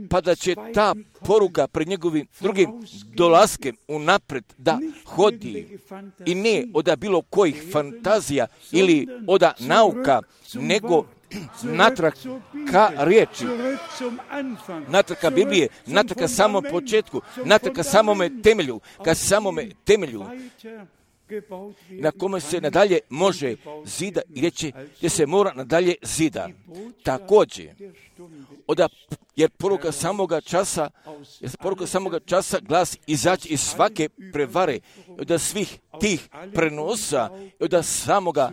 pa da će ta poruka pred njegovim drugim dolaskem unapred da hodi i ne od bilo kojih fantazija ili od nauka, nego natrag ka riječi, natrag ka Biblije, natrag ka samom početku, natrag ka samome temelju, ka samome temelju na kome se nadalje može zida i reći gdje se mora nadalje zida. Također, oda, jer poruka samoga časa, jer poruka samoga časa glasi izaći iz svake prevare, od svih tih prenosa, od samoga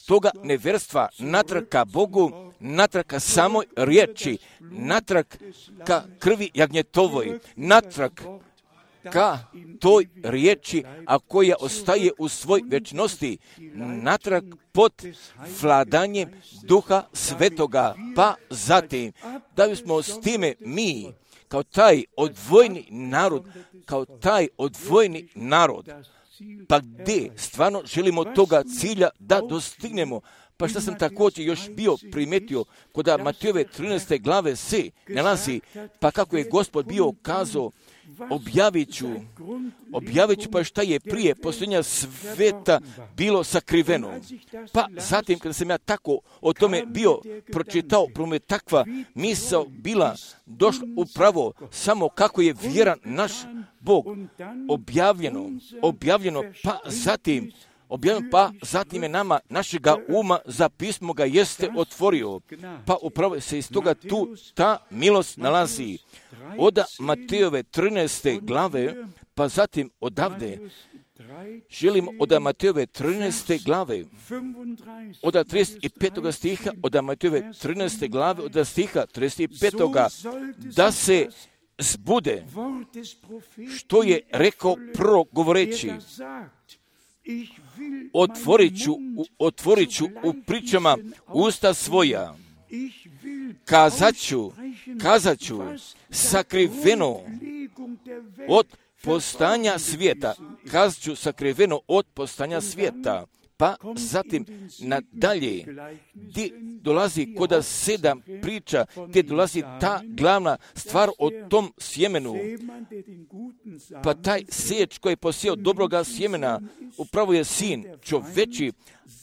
toga nevjerstva, natrag ka Bogu, natrag ka samoj riječi, natrag ka krvi jagnjetovoj, natrag ka toj riječi, a koja ostaje u svoj vječnosti, natrag pod vladanjem Duha Svetoga, pa zatim, da bismo s time mi, kao taj odvojni narod, kao taj odvojni narod, pa gdje stvarno želimo toga cilja da dostignemo. Pa što sam također još bio primetio kod Matejove trinaeste glave se nalazi, pa kako je Gospod bio kazao, objavit ću, objavit ću pa šta je prije posljednja sveta bilo sakriveno. Pa zatim kada sam ja tako o tome bio pročitao, prome takva misao bila došla upravo samo kako je vjeran naš Bog objavljeno, objavljeno, pa zatim objavljeno, pa zatim je nama našega uma za pismo ga jeste otvorio, pa upravo se iz toga tu ta milost nalazi. Od Matejove trinaeste glave, pa zatim odavde želim od Matejove trinaeste glave, od trideset petog stiha, od Matejove trinaeste glave, od stiha trideset petog da se zbude što je rekao prorok govoreći, otvorit ću, otvorit ću u pričama usta svoja, kazat ću, kazat ću sakriveno od postanja svijeta, kazat ću sakriveno od postanja svijeta. Pa zatim nadalje, gdje dolazi kod sedam priča, gdje dolazi ta glavna stvar o tom sjemenu. Pa taj sječ koji je posijao dobroga sjemena, upravo je sin čoveči,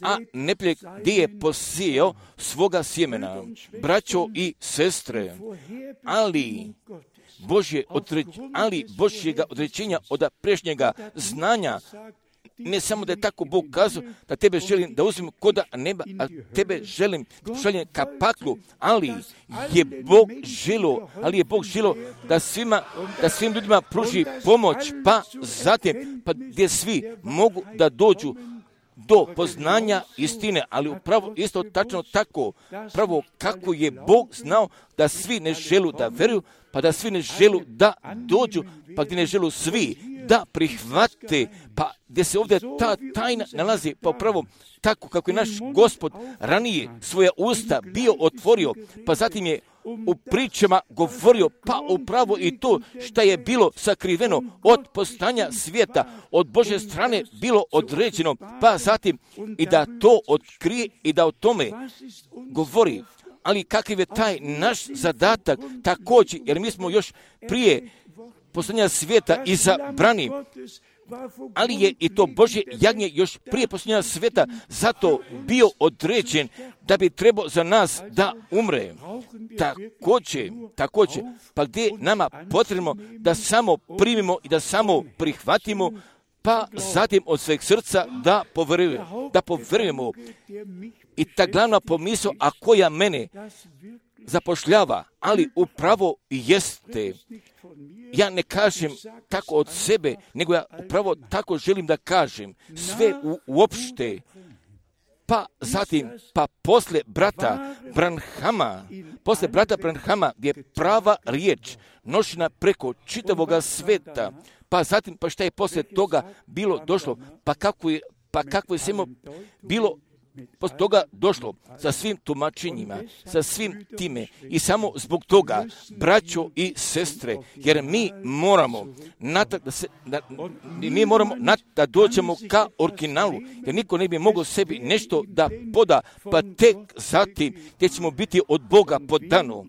a neprijek gdje je posijao svoga sjemena. Braćo i sestre, ali Božje odreć, ali Božjega odrećenja od prešnjega znanja, ne samo da je tako Bog kazao da tebe želim da uzmem koda neba, a tebe želim šaljem ka paklu, ali je Bog želo, ali je Bog želo da svima, da svim ljudima pruži pomoć, pa zatim, pa gdje svi mogu da dođu do poznanja istine, ali upravo isto tačno tako, pravo kako je Bog znao da svi ne želu da veruju, pa da svi ne želu da dođu, pa gdje ne želu svi da prihvate, pa gdje se ovdje ta tajna nalazi, pa upravo tako kako je naš Gospod ranije svoja usta bio otvorio, pa zatim je u pričama govorio, pa upravo i to što je bilo sakriveno od postanja svijeta, od Božje strane bilo određeno, pa zatim i da to otkrije i da o tome govori. Ali kakav je taj naš zadatak također, jer mi smo još prije postanja svijeta izabrani, ali je i to Božje jagnje još prije postanja svijeta zato bio određen da bi trebao za nas da umre. Također, također, pa gdje nama potrebno da samo primimo i da samo prihvatimo, pa zatim od sveg srca da poverujemo, da poverujemo. I ta glavna pomisao, a koja mene zapošljava, ali upravo jeste, ja ne kažem tako od sebe, nego ja upravo tako želim da kažem, sve u, uopšte, pa zatim, pa posle brata Branhama, posle brata Branhama, gdje je prava riječ nošena preko čitavoga sveta, pa zatim, pa šta je posle toga bilo došlo, pa kako je, pa kako je samo bilo posle toga došlo sa svim tumačenjima, sa svim time i samo zbog toga, braćo i sestre, jer mi moramo natak da se, da, mi moramo natak da dođemo ka originalu, jer niko ne bi mogao sebi nešto da poda, pa tek zatim gdje ćemo biti od Boga podano,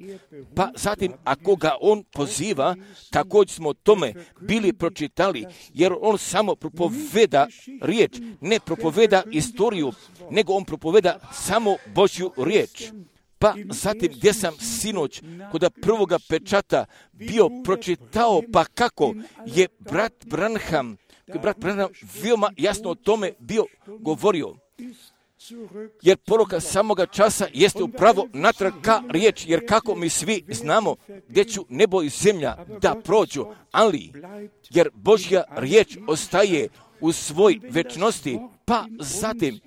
pa zatim ako ga on poziva, također smo tome bili pročitali, jer on samo propoveda riječ, ne propoveda istoriju, nego on propoveda samo Božju riječ. Pa zatim gdje sam sinoć kod prvoga pečata bio pročitao, pa kako je brat Branham, brat Branham veoma jasno o tome bio govorio. Jer poruka samoga časa jeste upravo natrag ka riječ, jer kako mi svi znamo gdje ću nebo i zemlja da prođu, ali jer Božja riječ ostaje u svoj večnosti, pa zatim,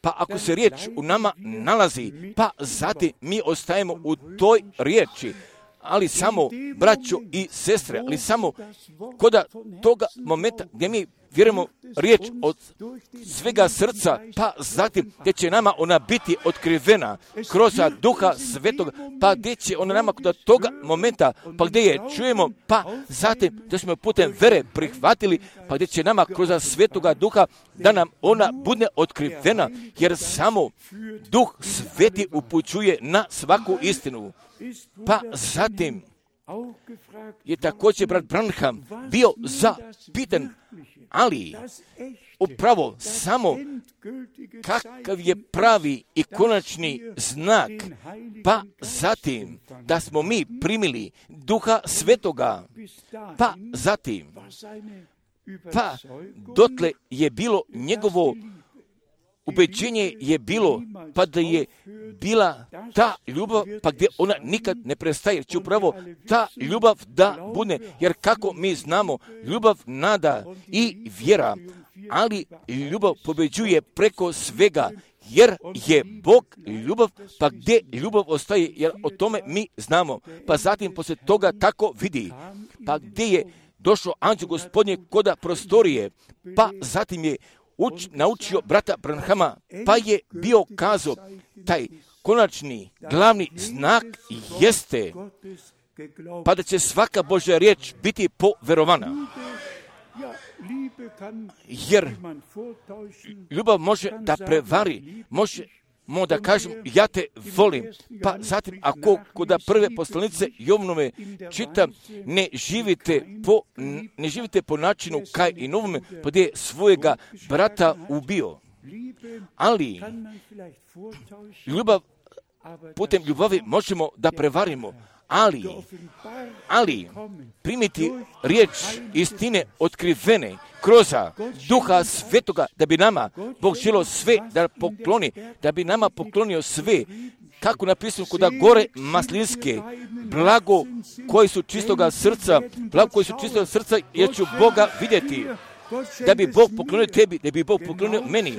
pa ako se riječ u nama nalazi, pa zatim mi ostajemo u toj riječi, ali samo braćo i sestre, ali samo kod toga momenta gdje mi vjerujemo riječ od svega srca, pa zatim gdje će nama ona biti otkrivena kroz Duha Svetoga, pa gdje će ona nama kod toga momenta, pa gdje je čujemo, pa zatim gdje smo putem vere prihvatili, pa gdje će nama kroz Svetoga Duha da nam ona bude otkrivena, jer samo Duh Sveti upućuje na svaku istinu. Pa zatim je također brat Branham bio zapitan, ali upravo samo kakav je pravi i konačni znak, pa zatim da smo mi primili Duha Svetoga, pa zatim, pa dotle je bilo njegovo ubeđenje je bilo, pa da je bila ta ljubav, pa gdje ona nikad ne prestaje, jer će upravo ta ljubav da bude, jer kako mi znamo, ljubav, nada i vjera, ali ljubav pobeđuje preko svega, jer je Bog ljubav, pa gdje ljubav ostaje, jer o tome mi znamo, pa zatim poslije toga tako vidi, pa gdje je došao anđeo Gospodnje koda prostorije, pa zatim je Uč, naučio brata Branhama, pa je bio kazao, taj konačni glavni znak jeste, pa da će svaka Božja riječ biti poverovana. Jer ljubav može da prevari, može mo da kažem, ja te volim, pa zatim ako kod prve poslanice Jovnove čitam, ne živite po, ne živite po načinu kaj i novome, pa gdje je svojega brata ubio. Ali ljubav, putem ljubavi možemo da prevarimo, ali, ali primiti riječ istine otkrivene kroz Duha Svetoga, da bi nama Bog želio sve da pokloni, da bi nama poklonio sve, kako napisano kod gore maslinske, blago koji su čistoga srca, blago koji su čistoga srca, jer ću Boga vidjeti, da bi Bog poklonio tebi, da bi Bog poklonio meni.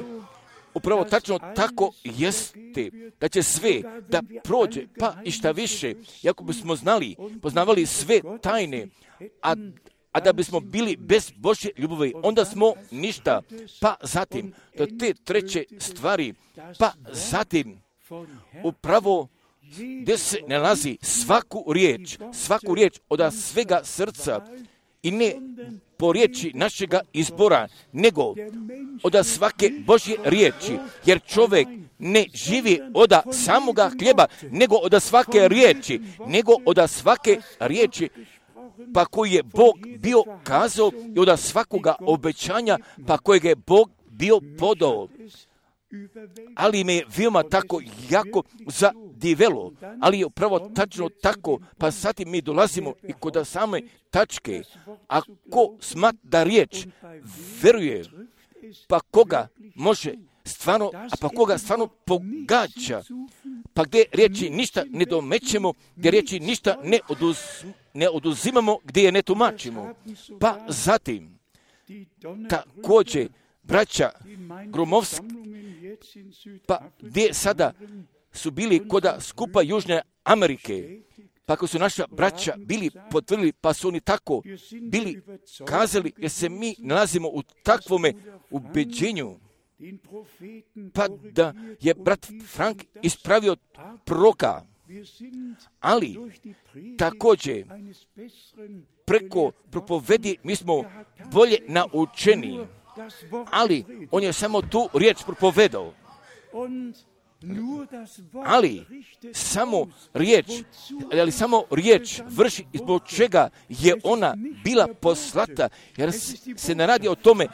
upravo tačno tako jeste, da će sve da prođe, pa i šta više, jako bismo znali, poznavali sve tajne, a A da bismo bili bez Božje ljubavi, onda smo ništa. Pa zatim, do te treće stvari, pa zatim, upravo gdje se nalazi svaku riječ, svaku riječ od svega srca i ne po riječi našega izbora, nego od svake Božje riječi, jer čovjek ne živi od samoga hljeba, nego od svake riječi, nego od svake riječi, pa koji je Bog bio kazao i od svakoga obećanja, pa kojeg je Bog bio podao. Ali me je veoma tako jako zadivelo, ali je upravo tačno tako, pa sad mi dolazimo i kod same tačke. Ako smat da riječ veruje, pa koga može stvarno, a pa koga stvarno pogađa, pa gdje riječi ništa ne domećemo, gdje riječi ništa ne, oduz, ne oduzimamo, gdje je ne tumačimo. Pa zatim, također, braća Gromovski, pa gdje sada su bili koda skupa Južne Amerike, pa ako su naša braća bili potvrdili, pa su oni tako bili kazali, jer se mi nalazimo u takvome ubeđenju, pa da je brat Frank ispravio proroka, ali također preko propovedi mi smo bolje naučeni, ali on je samo tu riječ propovedao. Ali samo riječ, ali samo riječ vrši zbog čega je ona bila poslata, jer se ne radi o tome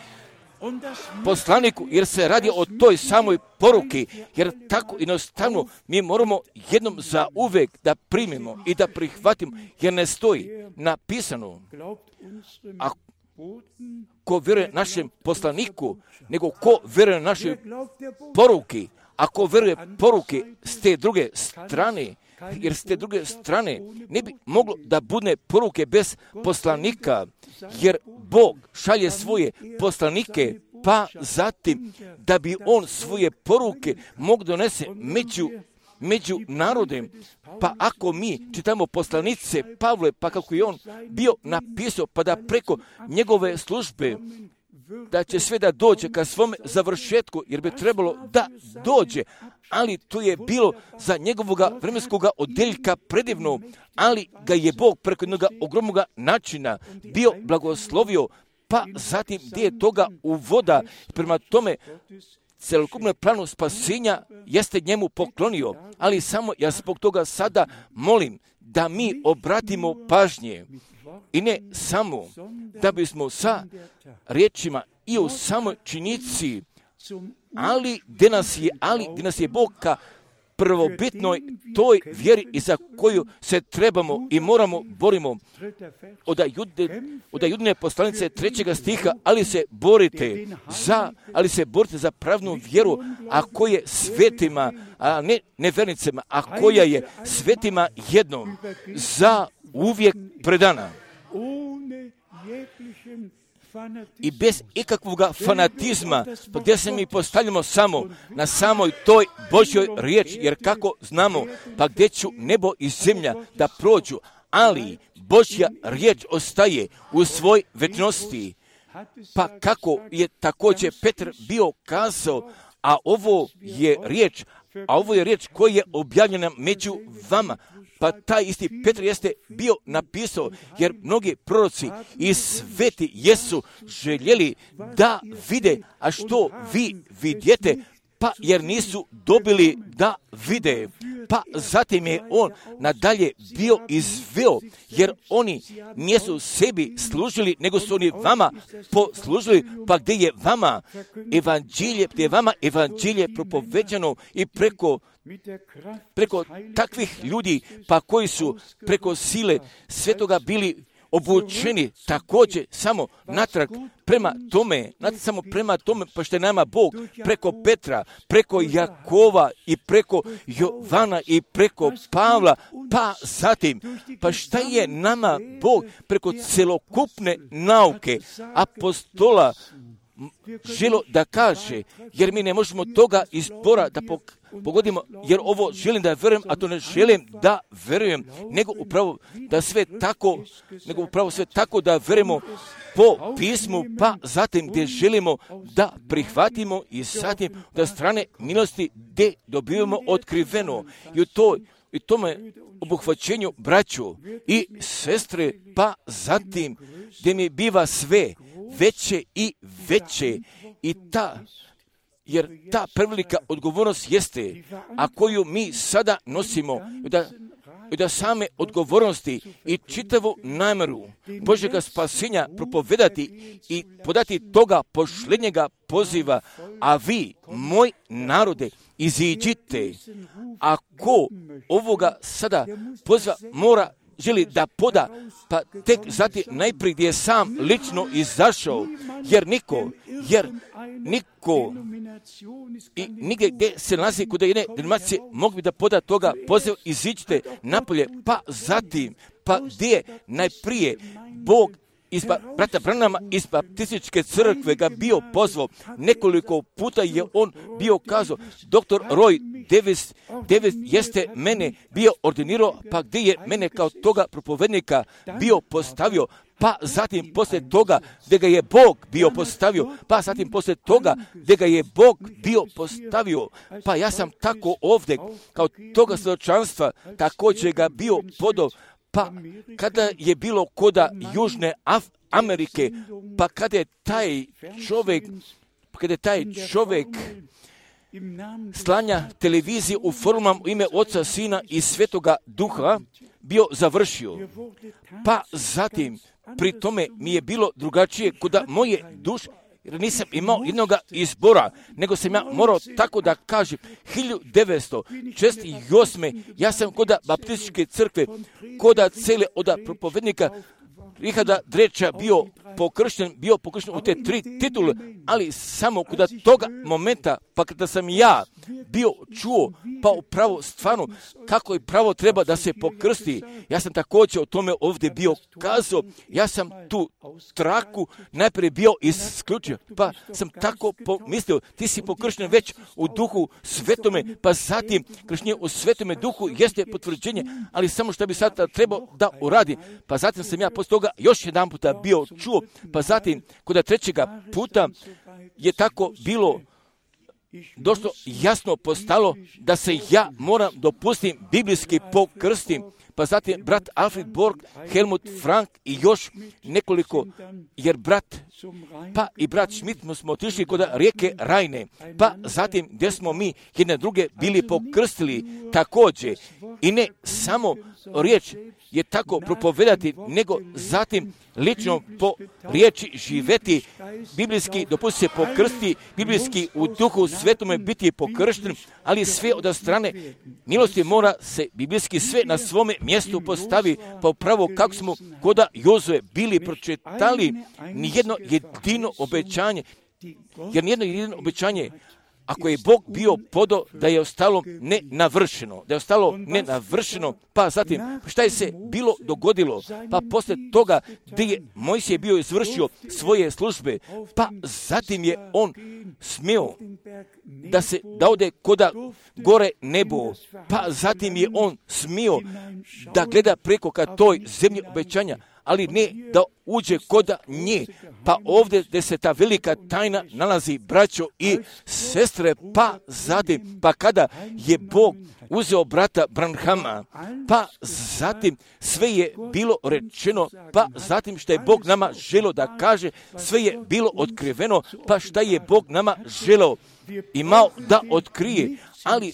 poslaniku, jer se radi o toj samoj poruki, jer tako jednostavno mi moramo jednom za uvek da primimo i da prihvatimo, jer ne stoji napisano, a ko vjeruje našem poslaniku, nego ko vjeruje našoj poruki, ako vjeruje poruke s te druge strane, jer s te druge strane ne bi moglo da bude poruke bez poslanika, jer Bog šalje svoje poslanike, pa zatim da bi on svoje poruke mogu donese među, među narodem. Pa ako mi čitamo poslanice Pavle, pa kako je on bio napisao, pa da preko njegove službe da će sve da dođe ka svome završetku, jer bi trebalo da dođe, ali to je bilo za njegovoga vremenskoga odeljka predivno, ali ga je Bog preko jednog ogromnog načina bio blagoslovio, pa zatim gdje je toga uvoda, prema tome celokupno planu spasenja jeste njemu poklonio, ali samo ja zbog toga sada molim da mi obratimo pažnje i ne samo da bismo sa riječima i u samoj činjenici, ali gdje nas je, ali gdje nas je Bog ka prvobitnoj toj vjeri i za koju se trebamo i moramo borimo. Od jude, od judine poslanice trećega stiha, ali se borite za, ali se borite za pravnu vjeru, a koja je svetima, a ne nevernicama, a koja je svetima jednom za uvijek predana. I bez ikakvog fanatizma, gdje se mi postavljamo samo na samoj toj Božjoj riječi, jer kako znamo, pa gdje ću nebo i zemlja da prođu, ali Božja riječ ostaje u svoj večnosti. Pa kako je također Petar bio kazao, a ovo je riječ, a ovo je riječ koja je objavljena među vama. Pa taj isti Petar jeste bio napisao, jer mnogi proroci i sveti jesu željeli da vide, a što vi vidjete, pa jer nisu dobili da vide. Pa zatim je on nadalje bio izveo, jer oni nisu sebi služili, nego su oni vama poslužili, pa gdje je vama evanđelje, gdje je vama evanđelje propoveđano i preko preko takvih ljudi, pa koji su preko sile svetoga bili obučeni također samo natrag prema tome, natrag samo prema tome, pa što je nama Bog preko Petra, preko Jakova i preko Jovana i preko Pavla, pa zatim, pa šta je nama Bog preko celokupne nauke apostola želo da kaže, jer mi ne možemo toga izbora da pogodimo, jer ovo želim da verujem, a to ne želim da verujem, nego upravo da sve tako, nego upravo sve tako da verujemo po pismu, pa zatim gdje želimo da prihvatimo i zatim da strane milosti gdje dobivamo otkriveno. I u toj i tome obuhvaćenju braću i sestre, pa zatim gdje mi biva sve veće i veće i ta, jer ta prevelika odgovornost jeste, a koju mi sada nosimo, da, da same odgovornosti i čitavu namjeru Božjega spasenja propovedati i podati toga posljednjega poziva, a vi, moj narode, iziđite. Ako ovoga sada poziva mora, želi da poda, pa tek zatim najprije gdje je sam lično izašao, jer niko, jer niko i nigdje gdje se nalazi kod jedne denominacije mogu bi da poda toga poziva, iziđite napolje, pa zatim, pa gdje najprije Bog iz brata Branhama iz baptističke crkve ga bio pozvao. Nekoliko puta je on bio kazao, doktor Roy Davis, Davis jeste mene bio ordinirao, pa gdje je mene kao toga propovednika bio postavio, pa zatim poslije toga gdje ga je Bog bio postavio, pa zatim poslije toga gdje ga je Bog bio postavio, pa ja sam tako ovdje kao toga svjedočanstva također ga bio podao. Pa kada je bilo koda Južne Af- Amerike, pa kada je taj čovjek, kada je taj čovjek slanja televizije u formama u ime Oca, Sina i Svetoga Duha bio završio. Pa zatim, pri tome mi je bilo drugačije koda moje duše, jer nisam imao jednoga izbora, nego sam ja morao tako da kažem, hiljadu devetsto šezdeset osme ja sam koda baptističke crkve, koda cele oda propovednika Richarda Dreča bio pokršten, bio pokršten u te tri titule, ali samo kod toga momenta, pa kada sam ja bio čuo, pa upravo stvarno kako je pravo treba da se pokrsti, ja sam također o tome ovdje bio kazao, ja sam tu traku najprije bio isključio, pa sam tako pomislio, ti si pokršten već u duhu svetome, pa zatim kršenje u svetome duhu jeste potvrđenje, ali samo što bi sad trebao da uradi, pa zatim sam ja posle toga još jedan puta bio čuo, pa zatim kod trećega puta je tako bilo došlo jasno postalo da se ja moram dopustim biblijski pokrstim, pa zatim brat Alfred Borg, Helmut Frank i još nekoliko, jer brat, pa i brat Schmidt smo otišli kod rijeke Rajne, pa zatim gdje smo mi jedne druge bili pokrstili također, i ne samo riječ je tako propovedati, nego zatim lično po riječi živeti, biblijski dopusti se pokrsti, biblijski u duhu svetome biti pokršten, ali sve od strane milosti mora se biblijski sve na svome mjestu postavi, pa upravo kako smo koda Jozue bili pročitali nijedno jedino obećanje, jer nijedno jedino obećanje, ako je Bog bio podao da je ostalo nenavršeno, da je ostalo nenavršeno, pa zatim šta je se bilo dogodilo, pa poslije toga gdje je Mojsije bio izvršio svoje službe, pa zatim je on smio da se da ode koda gore nebo, pa zatim je on smio da gleda preko ka toj zemlji obećanja, ali ne da uđe koda nje. Pa ovdje gdje se ta velika tajna nalazi, braćo i sestre, pa zatim, pa kada je Bog uzeo brata Branhama, pa zatim sve je bilo rečeno, pa zatim što je Bog nama želio da kaže, sve je bilo otkriveno, pa šta je Bog nama želio imao da otkrije, ali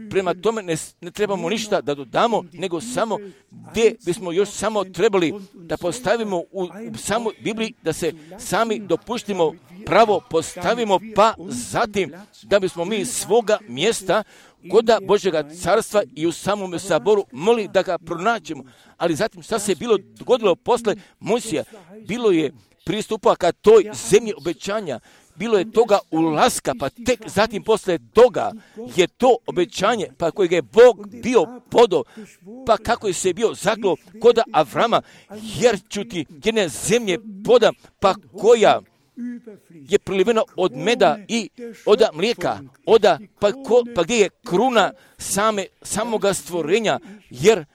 prema tome ne, ne trebamo ništa da dodamo, nego samo gdje bismo još samo trebali da postavimo u, u samoj Bibliji, da se sami dopuštimo pravo postavimo, pa zatim da bismo mi svoga mjesta koda Božjega carstva i u samom saboru moli da ga pronađemo. Ali zatim šta se je bilo dogodilo posle Mojsija? Bilo je pristupa ka toj zemlji obećanja, bilo je toga ulaska, pa tek zatim posle toga je to obećanje, pa kojeg je Bog bio podao, pa kako je se bio zaklo koda Avrama, jer ću ti jedne zemlje podam, pa koja je priliveno od meda i od mlijeka, oda, pa, ko, pa gdje je kruna same, samoga stvorenja, jer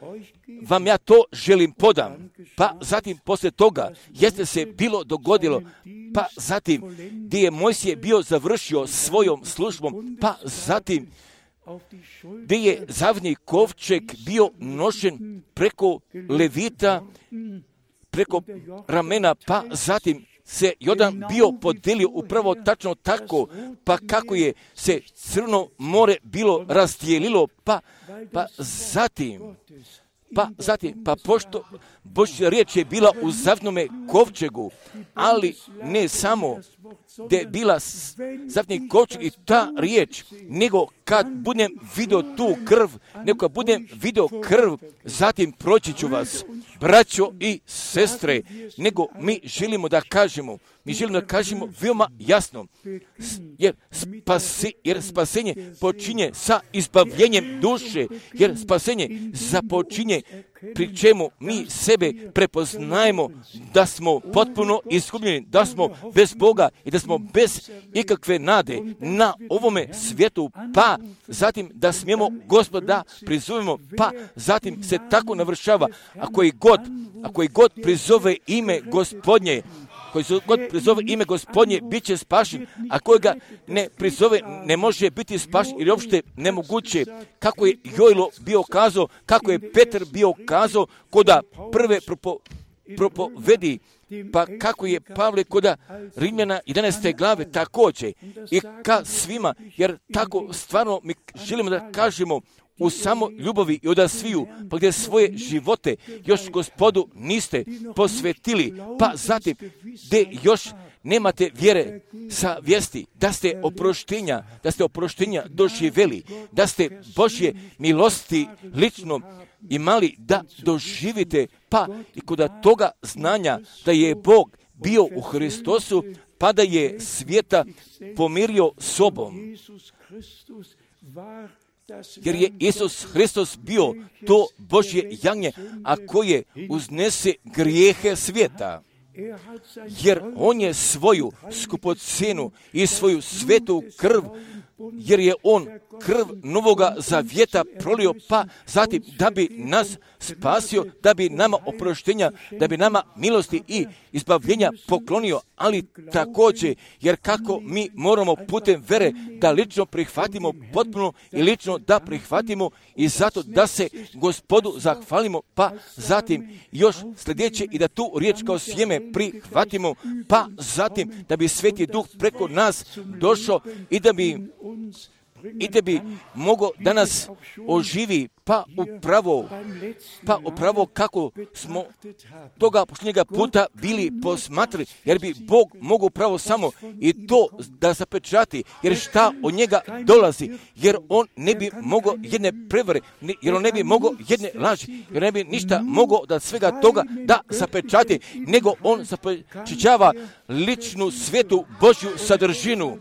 vam ja to želim podam. Pa zatim poslije toga jeste se bilo dogodilo, pa zatim gdje je Mojsije bio završio svojom službom, pa zatim gdje je zavni kovčeg bio nošen preko levita, preko ramena, pa zatim se Jordan bio podelio upravo tačno tako, pa kako je se Crno more bilo razdijelilo, pa, pa zatim, pa zatim, pa pošto Božja riječ je bila u zavnome kovčegu, ali ne samo gdje je bila zavni kovčeg i ta riječ, nego kad budem vidio tu krv, nego kad budem vidio krv, zatim proći ću vas, braćo i sestre, nego mi želimo da kažemo, mi želimo da kažemo veoma jasno, jer, spasi, jer spasenje počinje sa izbavljenjem duše, jer spasenje započinje pri čemu mi sebe prepoznajemo da smo potpuno izgubljeni, da smo bez Boga i da smo bez ikakve nade na ovome svijetu, pa zatim da smijemo Gospoda prizovemo, pa zatim se tako navršava, ako i god, ako i god prizove ime Gospodnje, koji se god prizove ime Gospodnje, bit će spašen, a koji ga ne prizove, ne može biti spašen, jer je uopšte nemoguće. Kako je Jojlo bio kazao, kako je Petar bio kazao, koda prve propo, propovedi, pa kako je Pavle koda Rimljana jedanaeste glave također, i ka svima, jer tako stvarno mi želimo da kažemo, u samo ljubavi i od sviju, pa gdje svoje živote još Gospodu niste posvetili, pa zatim gdje još nemate vjere sa vijesti, da ste oproštenja, da ste oproštenja doživjeli, da ste Božje milosti lično imali da doživite, pa i kod toga znanja da je Bog bio u Hristosu, pa da je svijeta pomirio sobom. Jer je Isus Hristos bio to Božje jagnje, a koje uznese grijehe svijeta. Jer on je svoju skupocenu i svoju svetu krv, jer je on krv novoga zavjeta prolio, pa zatim da bi nas spasio, da bi nama oproštenja, da bi nama milosti i izbavljenja poklonio, ali također, jer kako mi moramo putem vere da lično prihvatimo potpuno i lično da prihvatimo i zato da se Gospodu zahvalimo, pa zatim još sljedeće i da tu riječ kao sjeme prihvatimo, pa zatim da bi Sveti Duh preko nas došao i da bi i da bi mogao da nas oživi, pa upravo, pa upravo kako smo toga posljednjega puta bili posmatrali, jer bi Bog mogao upravo samo i to da zapečati, jer šta od njega dolazi, jer on ne bi mogao jedne prevare, jer on ne bi mogao jedne laži, jer ne bi ništa mogao da svega toga da zapečati, nego on zapečećava ličnu svetu Božju sadržinu.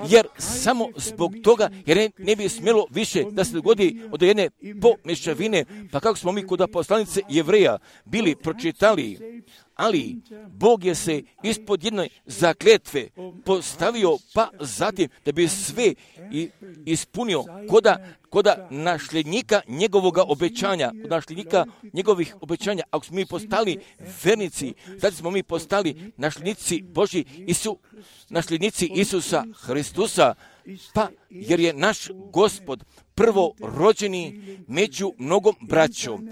Jer samo zbog toga, jer ne, ne bi smjelo više da se dogodi od jedne pomješavine, pa kako smo mi kod poslanice Jevreja bili pročitali, ali Bog je se ispod jedne zakletve postavio, pa zatim da bi sve ispunio koda, koda našljednika njegovoga obećanja, kod našljednika njegovih obećanja. Ako smo mi postali vernici, zatim smo mi postali našljednici Božji, Isu, našljednici Isusa Hristusa, pa jer je naš Gospod prvo rođeni među mnogom braćom,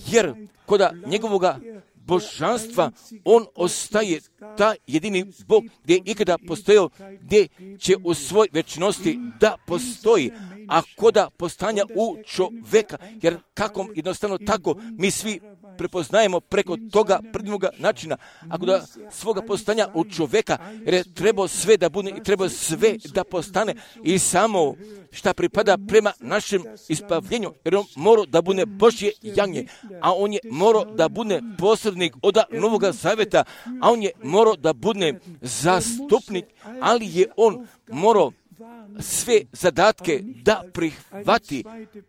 jer koda njegovoga božanstva on ostaje ta jedini Bog gdje je ikada postojao, gdje će u svoj večnosti da postoji, a koda postanja u čoveka, jer kako jednostavno tako mi svi prepoznajemo preko toga predivnoga načina, ako da svoga postanja u čoveka, jer je trebao sve da bude i treba sve da postane i samo šta pripada prema našem ispavljenju, jer on mora da bude Božje jagnje, a on je morao da bude posrednik od Novoga Zaveta, a on je morao da bude zastupnik, ali je on morao sve zadatke da prihvati,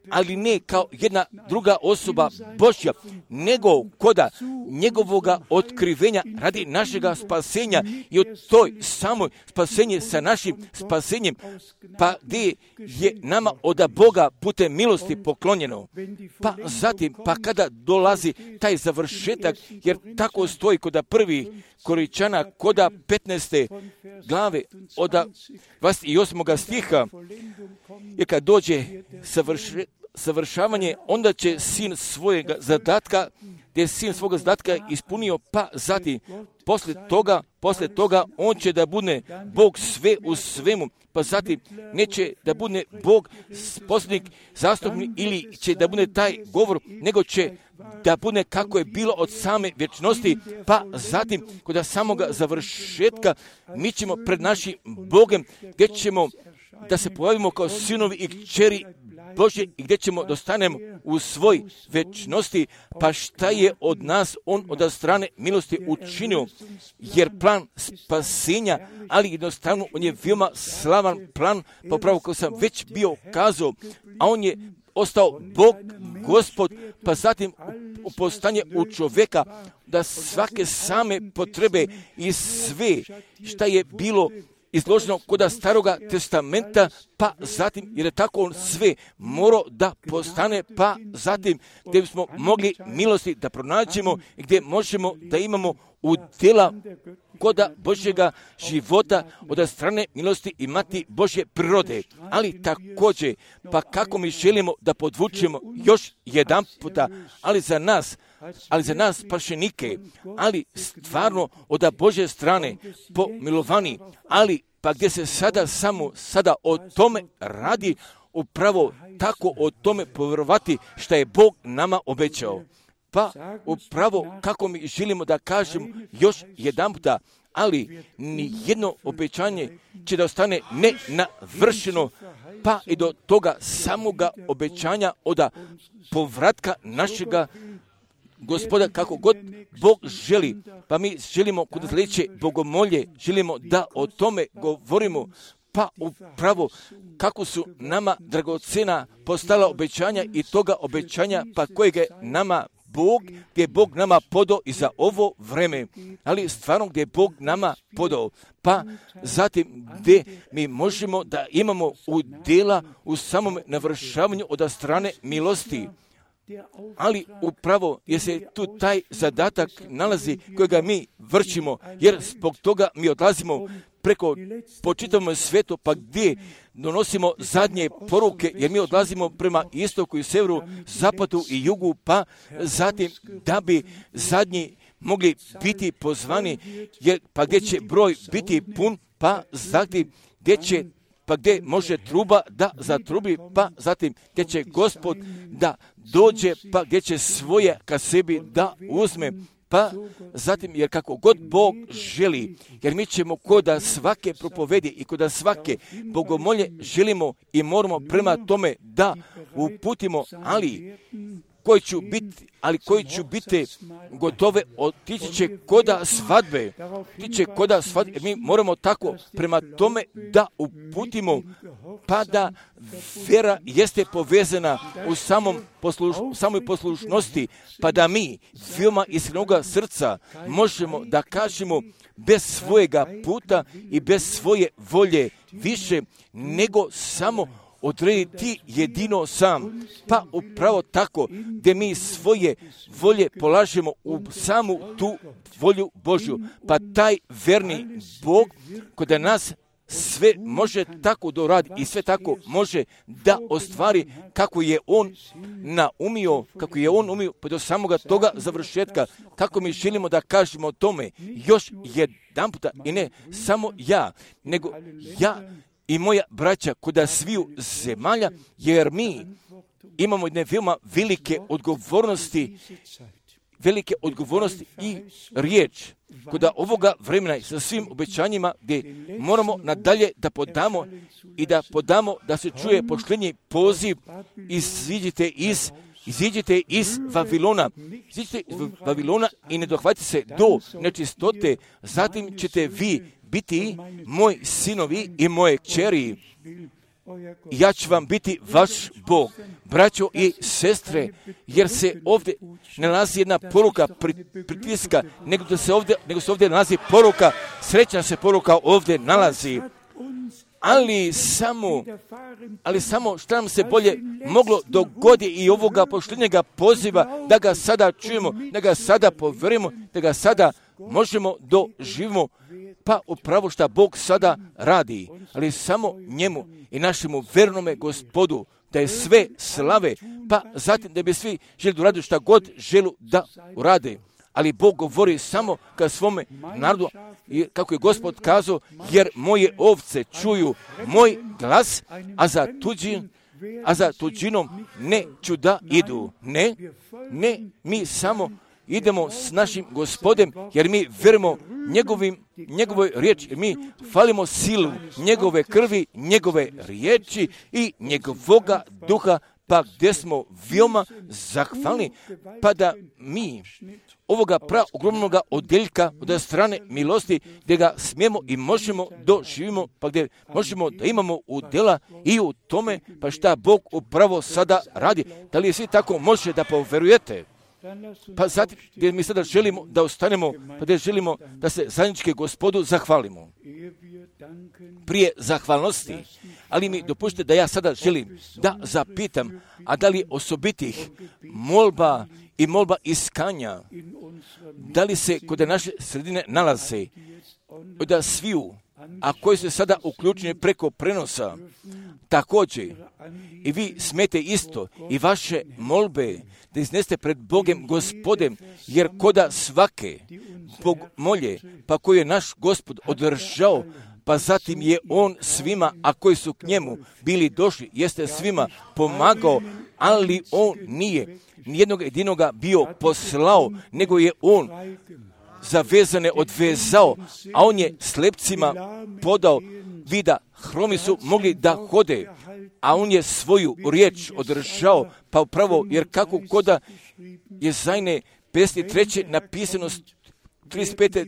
ali ne kao jedna druga osoba Božja, nego koda njegovoga otkrivenja radi našega spasenja i od toj samoj spasenje sa našim spasenjem, pa gdje je nama od Boga putem milosti poklonjeno. Pa zatim, pa kada dolazi taj završetak, jer tako stoji koda prvi Koričana, koda petnaeste glave od dvadeset osmog stiha, jer kad dođe savrše, savršavanje, onda će sin svojega zadatka, gdje je sin svoga zadatka ispunio, pa zatim, poslije toga, poslije toga, on će da bude Bog sve u svemu, pa zatim neće da bude Bog poslanik, zastupnik ili će da bude taj govor, nego će da bude kako je bilo od same vječnosti, pa zatim kod samoga završetka mi ćemo pred našim Bogom, gdje ćemo da se pojavimo kao sinovi i kćeri Božje i gdje ćemo dostanemo u svoj vječnosti, pa šta je od nas on od strane milosti učinio, jer plan spasenja, ali jednostavno on je veoma slavan plan, pa upravo kao sam već bio kazao, a on je ostao Bog, Gospod, pa zatim postanje u čovjeka, da svake same potrebe i sve šta je bilo izloženo kod staroga testamenta, pa zatim, jer je tako on sve morao da postane, pa zatim gdje bismo mogli milosti da pronađemo, gdje možemo da imamo udjela koda Božjega života od strane milosti imati Božje prirode. Ali također, pa kako mi želimo da podvučemo još jedan puta, ali za nas, ali za nas spašenike, ali stvarno od Božje strane pomilovani, ali pa gdje se sada samo sada o tome radi, upravo tako o tome povjerovati što je Bog nama obećao. Pa upravo kako mi želimo da kažem još jedan puta, ali ni jedno obećanje će da ostane nenavršeno, pa i do toga samoga obećanja od povratka našega Gospoda, kako god Bog želi, pa mi želimo kod sljedeće bogomolje, želimo da o tome govorimo, pa upravo kako su nama dragocena postala obećanja i toga obećanja, pa kojeg je nama Bog, gdje je Bog nama podao i za ovo vreme, ali stvarno gdje je Bog nama podao, pa zatim gdje mi možemo da imamo udjela u samom navršavanju od strane milosti. Ali upravo je se tu taj zadatak nalazi kojega mi vršimo, jer zbog toga mi odlazimo preko po čitavom svijetu, pa gdje donosimo zadnje poruke, jer mi odlazimo prema istoku i severu, zapadu i jugu, pa zatim da bi zadnji mogli biti pozvani, jer pa gdje će broj biti pun, pa zatim gdje će pa gdje može truba da zatrubi, pa zatim gdje će Gospod da dođe, pa gdje će svoje ka sebi da uzme, pa zatim, jer kako god Bog želi, jer mi ćemo koda svake propovedi i koda svake bogomolje želimo i moramo prema tome da uputimo, ali koji ću biti, ali koji ću biti gotove, otići će koda svadbe, otići koda svadbe, mi moramo tako prema tome da uputimo, pa da vjera jeste povezana u samom posluš, samoj poslušnosti, pa da mi veoma iskrenoga srca možemo da kažemo bez svojega puta i bez svoje volje više nego samo odrediti jedino sam, pa upravo tako gdje mi svoje volje polažemo u samu tu volju Božju, pa taj verni Bog kod nas sve može tako doradi i sve tako može da ostvari kako je on naumio, kako je on umio pa do samoga toga završetka, kako mi želimo da kažemo o tome još jedan puta i ne samo ja, nego ja i moja braća kuda sviju zemalja, jer mi imamo jedne veoma velike odgovornosti, velike odgovornosti i riječ kuda ovoga vremena sa svim obećanjima gdje moramo nadalje da podamo i da podamo da se čuje poštenji poziv, iziđite iz Iziđite iz Vavilona, iziđite iz Vavilona i ne dohvatite se do nečistote, zatim ćete vi biti moji sinovi i moje kćeri. Ja ću vam biti vaš Bog, braćo i sestre, jer se ovdje ne nalazi jedna poruka pritiska, nego, da se ovdje, nego se ovdje nalazi poruka, srećna se poruka ovdje nalazi. Ali samo, ali samo što nam se bolje moglo dogodi i ovoga poštenjega poziva, da ga sada čujemo, da ga sada povjerujemo, da ga sada možemo doživimo, pa upravo što Bog sada radi, ali samo njemu i našemu vernome Gospodu, da je sve slave, pa zatim da bi svi želi da urade šta god želu da urade. Ali Bog govori samo ka svome narodu, kako je Gospod kazao, jer moje ovce čuju moj glas, a za tuđin, a za tuđinom neću da idu. Ne, ne, mi samo idemo s našim Gospodem, jer mi vjerujemo njegovim, njegovoj riječi, jer mi falimo silu njegove krvi, njegove riječi i njegovoga duha, pa gdje smo veoma zahvalni, pa da mi ovoga pra ogromnoga odjeljka od strane milosti, gdje ga smijemo i možemo doživimo, pa gdje možemo da imamo udjela i u tome, pa šta Bog upravo sada radi. Da li svi tako može da poverujete? Pa zatim gdje mi sada želimo da ostanemo, pa gdje želimo da se zajednički Gospodu zahvalimo. Prije zahvalnosti, ali mi dopušte da ja sada želim da zapitam, a da li osobitih molba i molba iskanja, da li se kod naše sredine nalaze, da sviju, a koji su sada uključeni preko prenosa, također i vi smete isto i vaše molbe da izneste pred Bogem Gospodem, jer koda svake Bog molje, pa koji je naš Gospod održao, pa zatim je on svima, a koji su k njemu bili došli, jeste svima pomagao, ali on nije nijednog jedinoga bio poslao, nego je on zavezane odvezao, a on je slepcima podao vida, hromi su mogli da hode, a on je svoju riječ održao, pa upravo, jer kako koda je Jezajne pedeset treće napisano, trideset pete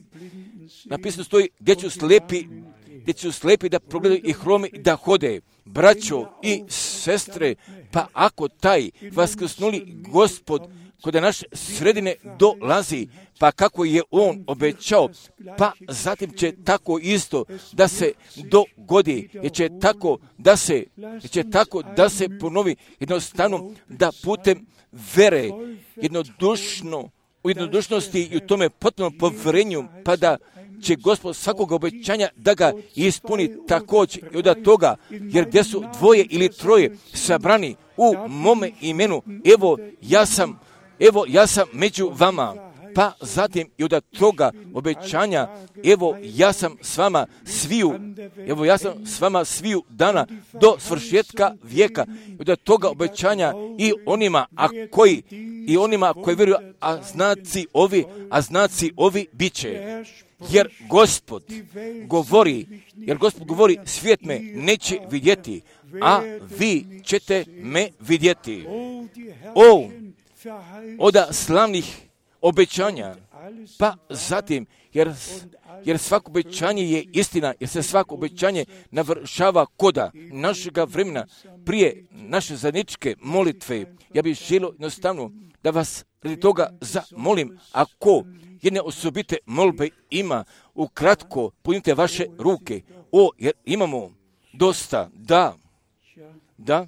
napisano stoji, gdje ću slepi, gdje ću slepi da progledaju i hromi da hode. Braćo i sestre, pa ako taj vaskrsnuli Gospod kod naše sredine dolazi, pa kako je on obećao, pa zatim će tako isto da se dogodi, jer će tako da se, jer će tako da se ponovi jednostavno da putem vere jednodušno, u jednodušnosti i u tome potpunom povjerenju, pa da će Gospod svakog obećanja da ga ispuni također i od toga, jer gdje su dvoje ili troje sabrani u mome imenu, evo ja sam, evo ja sam među vama, pa zatim i od toga obećanja, evo ja sam s vama sviju, evo ja sam s vama sviju dana do svršetka vijeka, i od toga obećanja i onima, a koji, i onima koji vjeruju, a znaci ovi, a znaci ovi bit će. Jer Gospod govori, jer Gospod govori, svijet me neće vidjeti, a vi ćete me vidjeti. O, oda slavnih obećanja, pa zatim, jer, jer svako obećanje je istina, jer se svako obećanje navršava koda našega vremena, prije naše zajedničke molitve. Ja bih želio jednostavno da vas radi toga zamolim, ako jedne osobite molbe ima, ukratko punite vaše ruke. O, jer imamo dosta, da, da.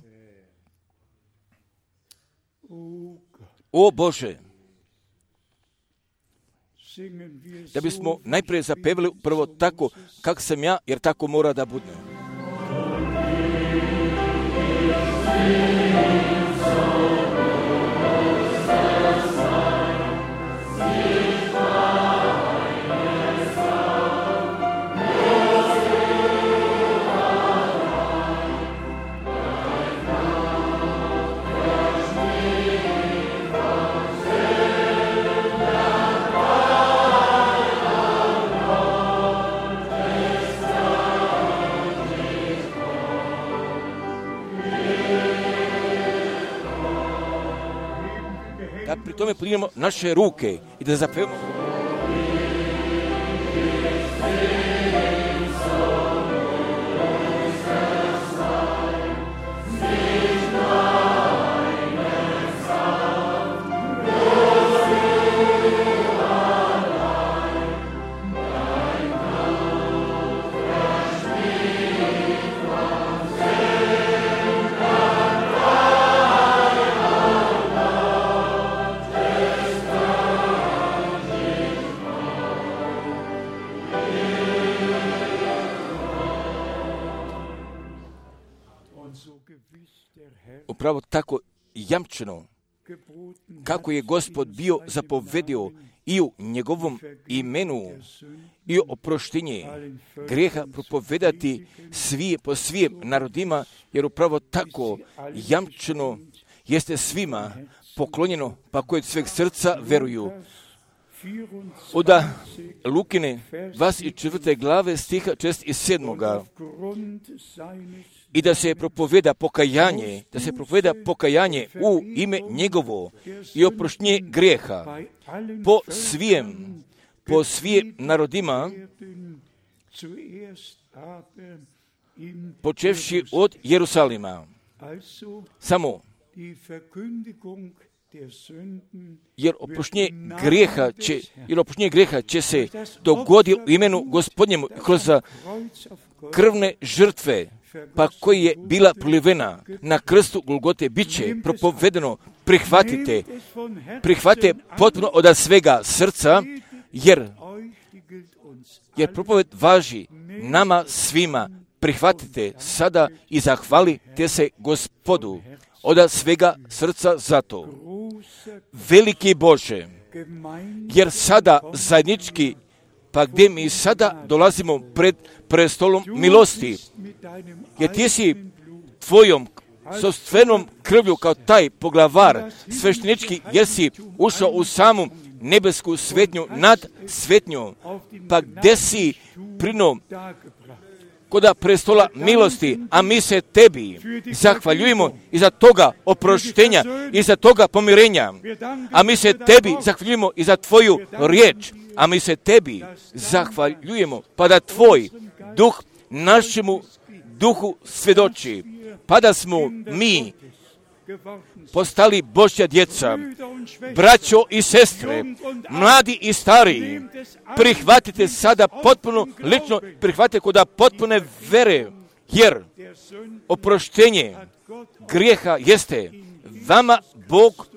O Bože, da bismo najprije zapevali prvo tako kak sam ja, jer tako mora da bude. Da pri tome podignemo naše ruke i da zapevamo. Oh upravo tako jamčeno, kako je Gospod bio zapovedio i u njegovom imenu i oproštenje grijeha propovedati svi, po svim narodima, jer upravo tako jamčeno jeste svima poklonjeno, pa koji od sveg srca veruju. Od Lukine dvadeset četvrte glave stiha šest i sedam. I da se propoveda pokajanje, da se propoveda pokajanje u ime njegovo i oproštenje grijeha po svim, po svim narodima, počevši od Jerusalima. Samo jer oproštenje grijeha će, jer oproštenje grijeha će se dogoditi u imenu Gospodnjemu kroz krvne žrtve, pa koji je bila prolivena na krstu Golgote, bit će propovedeno, prihvatite, prihvatite potpuno od svega srca, jer, jer propoved važi nama svima. Prihvatite sada i zahvalite se Gospodu od svega srca za to. Veliki Bože, jer sada zajednički, pa gdje mi sada dolazimo pred prestolom milosti, jer ti si tvojom sopstvenom krvlju kao taj poglavar sveštenički, jer si ušao u samu nebesku svetnju nad svetnjom, pa gdje si prinom koda prestola milosti, a mi se tebi zahvaljujemo i za toga oproštenja i za toga pomirenja, a mi se tebi zahvaljujemo i za tvoju riječ, a mi se tebi zahvaljujemo, pa da tvoj duh našemu duhu svjedoči, pa da smo mi postali Božja djeca, braćo i sestre, mladi i stariji, prihvatite sada potpuno lično, prihvatite koda potpune vere, jer oproštenje grijeha jeste vama Bog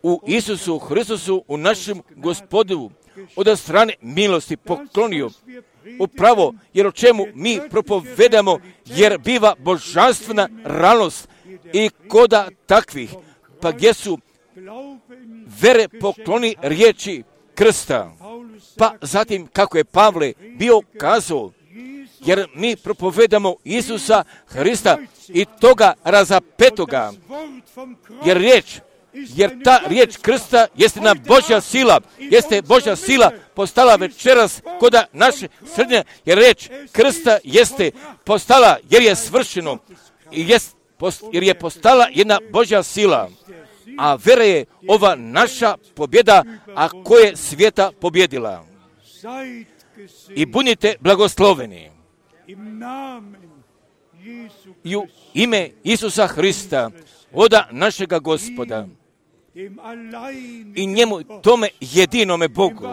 u Isusu Hristusu, u našem Gospodu, od strane milosti poklonio. Upravo, jer o čemu mi propovedamo, jer biva božanstvena realnost i koda takvih, pa gdje su vere pokloni riječi krsta. Pa zatim, kako je Pavle bio kazao, jer mi propovedamo Isusa Hrista i toga razapetoga, jer riječ, jer ta riječ krsta jeste na Božja sila, jeste Božja sila postala večeras koda naše srednje, jer riječ krsta jeste postala, jer je svršeno, jest, post, jer je postala jedna Božja sila, a vera je ova naša pobjeda, a koja je svijeta pobjedila. I budite blagosloveni i u ime Isusa Hrista, oda našega Gospoda, i njemu, tome jedinome Bogu,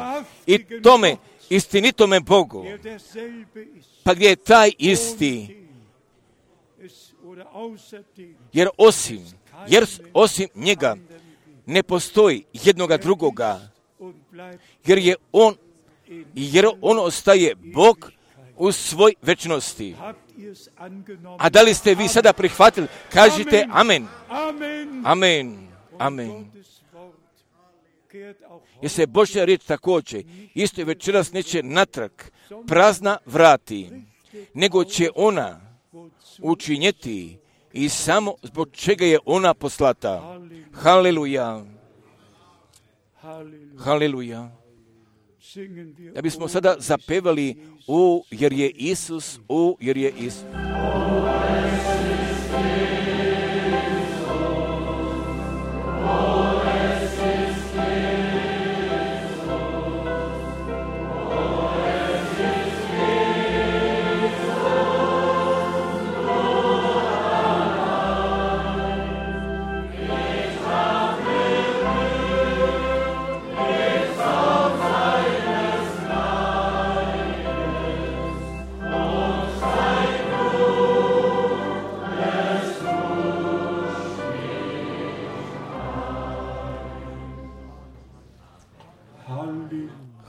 i tome istinitome Bogu, pa gdje je taj isti, jer osim, jer osim njega ne postoji jednoga drugoga, jer je on, jer on ostaje Bog u svoj večnosti. A da li ste vi sada prihvatili? Kažite amen. Amen. Amen. Jer se Božja riječ također isto večeras neće natrag prazna vrati, nego će ona učinjeti i samo zbog čega je ona poslata. Haleluja. Haleluja. Da bismo sada zapevali o, jer je Isus, o, jer je Isus.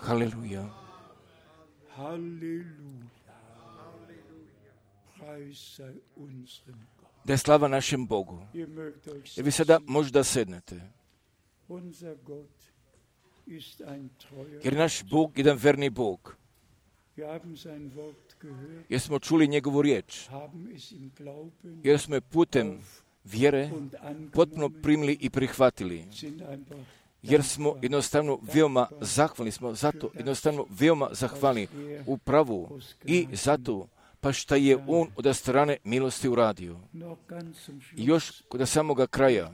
Halleluja. Halleluja. Preis sei unserem Gott. da je slava našem Bogu. Jer vi sada možda sednete. Jer naš Bog je jedan verni Bog. Jer smo čuli njegovu riječ. Jer smo je putem vjere potpuno primili i prihvatili. Jer smo jednostavno veoma zahvalni smo, zato jednostavno veoma zahvalni u pravu i zato pa šta je on od strane milosti uradio. I još kod samoga kraja,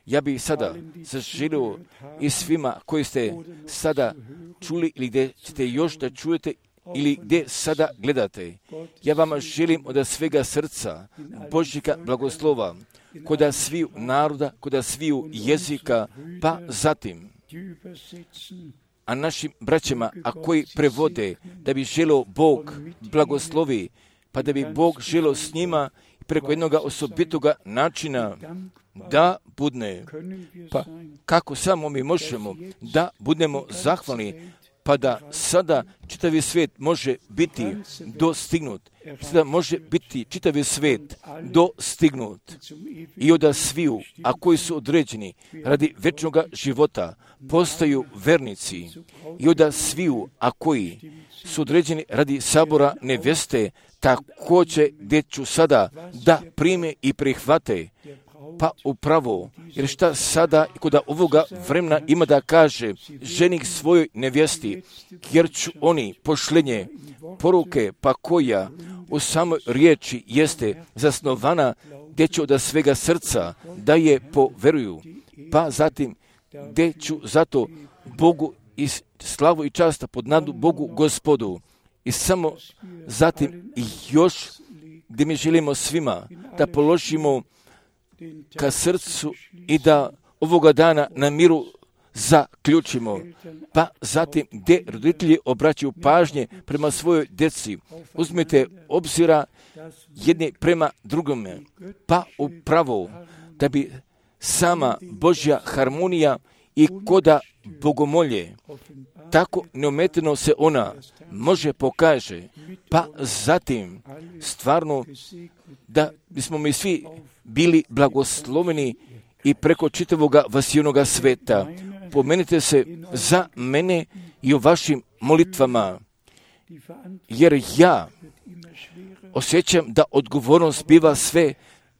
ja bih sada zaželio i svima koji ste sada čuli ili gdje ćete još da čujete ili gdje sada gledate, ja vama želim od svega srca Božjega blagoslova, kod sviju naroda, kod sviju jezika, pa zatim, a našim braćama, a koji prevode, da bi želio Bog blagoslovi, pa da bi Bog želio s njima preko jednog osobitoga načina da budne, pa kako samo mi možemo da budemo zahvalni, pa da sada čitavi svijet može biti dostignut, sada može biti čitavi svijet dostignut i od sviju, a koji su određeni radi večnog života, postaju vernici i od sviju, a koji su određeni radi sabora neveste, također gdje ću sada da prime i prihvate, pa upravo, jer šta sada kod ovoga vremena ima da kaže ženik svojoj nevjesti, jer ću oni pošlenje poruke, pa koja u samoj riječi jeste zasnovana, gdje ću od svega srca da je poveruju, pa zatim gdje ću zato Bogu i slavu i časta pod nadu Bogu Gospodu. I samo zatim i još gdje mi želimo svima da položimo ka srcu i da ovoga dana na miru zaključimo, pa zatim gdje roditelji obraćaju pažnje prema svojoj djeci, uzmite obzira jedni prema drugome, pa upravo da bi sama Božja harmonija i koda bogomolje, tako neometeno se ona može pokaže, pa zatim stvarno da bismo mi svi bili blagosloveni i preko čitavoga vasijonoga sveta. Pomenite se za mene i o vašim molitvama, jer ja osjećam da odgovornost biva sve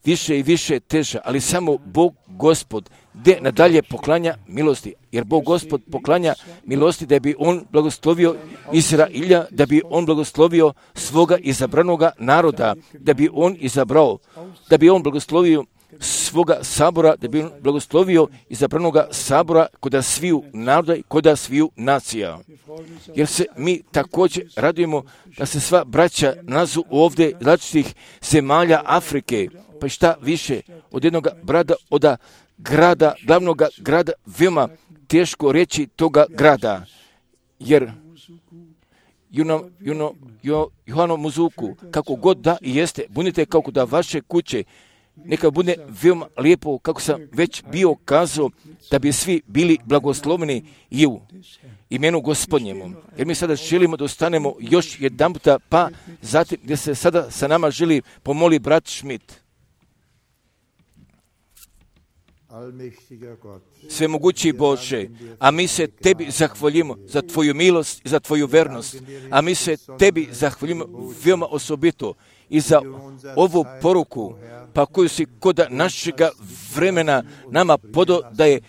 više i više teža, ali samo Bog Gospod gdje nadalje poklanja milosti, jer Bog Gospod poklanja milosti da bi On blagoslovio Izrailja, da bi On blagoslovio svoga izabranoga naroda, da bi On izabrao, da bi On blagoslovio svoga sabora, da bi On blagoslovio izabranoga sabora kod sviju naroda i kod sviju nacija. Jer se mi također radujemo da se sva braća nazu ovdje različitih zemalja Afrike, pa šta više od jednog brada, od grada, glavnog grada, veoma teško reći toga grada, jer Juno, Juno, jo, Johano Muzuku, kako god da i jeste, budite kako da vaše kuće, neka bude veoma lijepo, kako sam već bio kazao, da bi svi bili blagosloveni i u imenu Gospodnjemu. Jer mi sada želimo da ostanemo još jedan puta, pa zatim gdje se sada sa nama želi pomoli brat Schmidt. Svemogući Bože, a mi se Tebi zahvaljujemo za Tvoju milost i za Tvoju vernost, a mi se Tebi zahvaljujemo veoma osobito i za ovu poruku, pa koju si kod našega vremena nama podo da je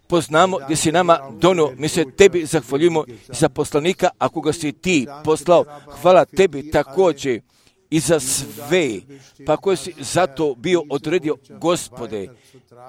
poznamo, gdje si nama donio. Mi se Tebi zahvaljujemo za poslanika, ako ga si Ti poslao. Hvala Tebi također i za sve, pa koje si zato bio odredio, Gospode,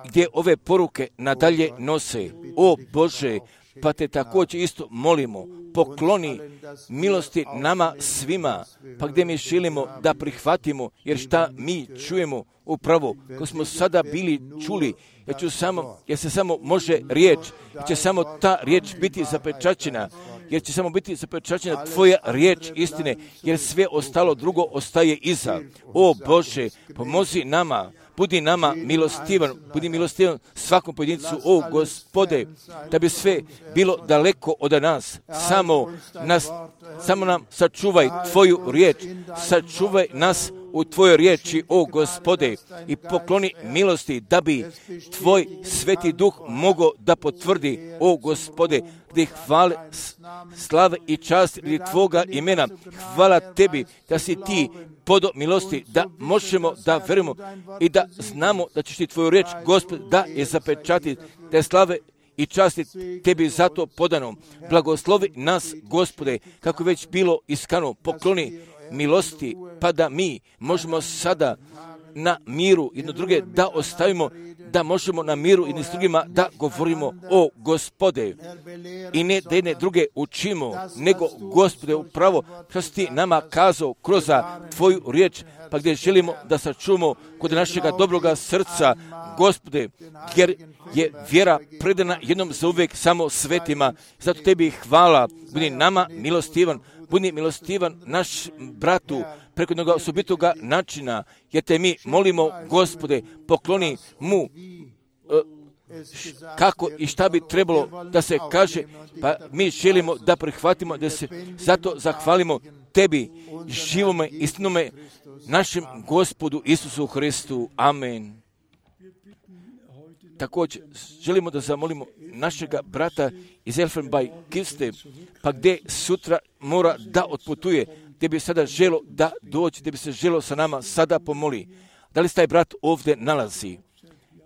gdje ove poruke nadalje nose. O Bože, pa te također isto molimo, pokloni milosti nama svima, pa gdje mi želimo da prihvatimo, jer šta mi čujemo upravo, ko smo sada bili čuli, jer, ću samo, jer se samo može riječ, jer će samo ta riječ biti zapečaćena, jer će samo biti zapečaćena Tvoja riječ istine, jer sve ostalo drugo ostaje iza. O Bože, pomozi nama, budi nama milostivan, budi milostivan svakom pojedincu, o Gospode, da bi sve bilo daleko od nas, samo nas, samo nam sačuvaj Tvoju riječ, sačuvaj nas u Tvojoj riječi, o Gospode, i pokloni milosti da bi Tvoj Sveti Duh mogao da potvrdi, o Gospode, gdje hvale, slave i čast ili Tvoga imena. Hvala Tebi da si Ti podo milosti, da možemo da verujemo i da znamo da ćeš Ti Tvoju riječ, Gospod, da je zapečatiti, da je slave i časti Tebi zato podano. Blagoslovi nas, Gospode, kako već bilo iskano, pokloni milosti, pa da mi možemo sada na miru jedno druge da ostavimo, da možemo na miru jedni s drugima da govorimo, o Gospode, i ne da jedne druge učimo, nego Gospode upravo što si Ti nama kazao kroz Tvoju riječ, pa gdje želimo da sačuvamo kod našega dobroga srca, Gospode, jer je vjera predana jednom za uvijek samo svetima. Zato Tebi hvala, budi nama milostivan, budi milostivan naš bratu preko jednog osobitoga načina, jer Te mi molimo, Gospode, pokloni mu uh, kako i šta bi trebalo da se kaže, pa mi želimo da prihvatimo, da se zato zahvalimo Tebi, živome, istinome, našem Gospodu Isusu Hristu. Amen. Također, želimo da zamolimo našega brata iz Elfenbein-Kiste, pa gdje sutra mora da otputuje, gdje bi sada želo da doći, gdje bi se želo sa nama sada pomoli. Da li se taj brat ovdje nalazi?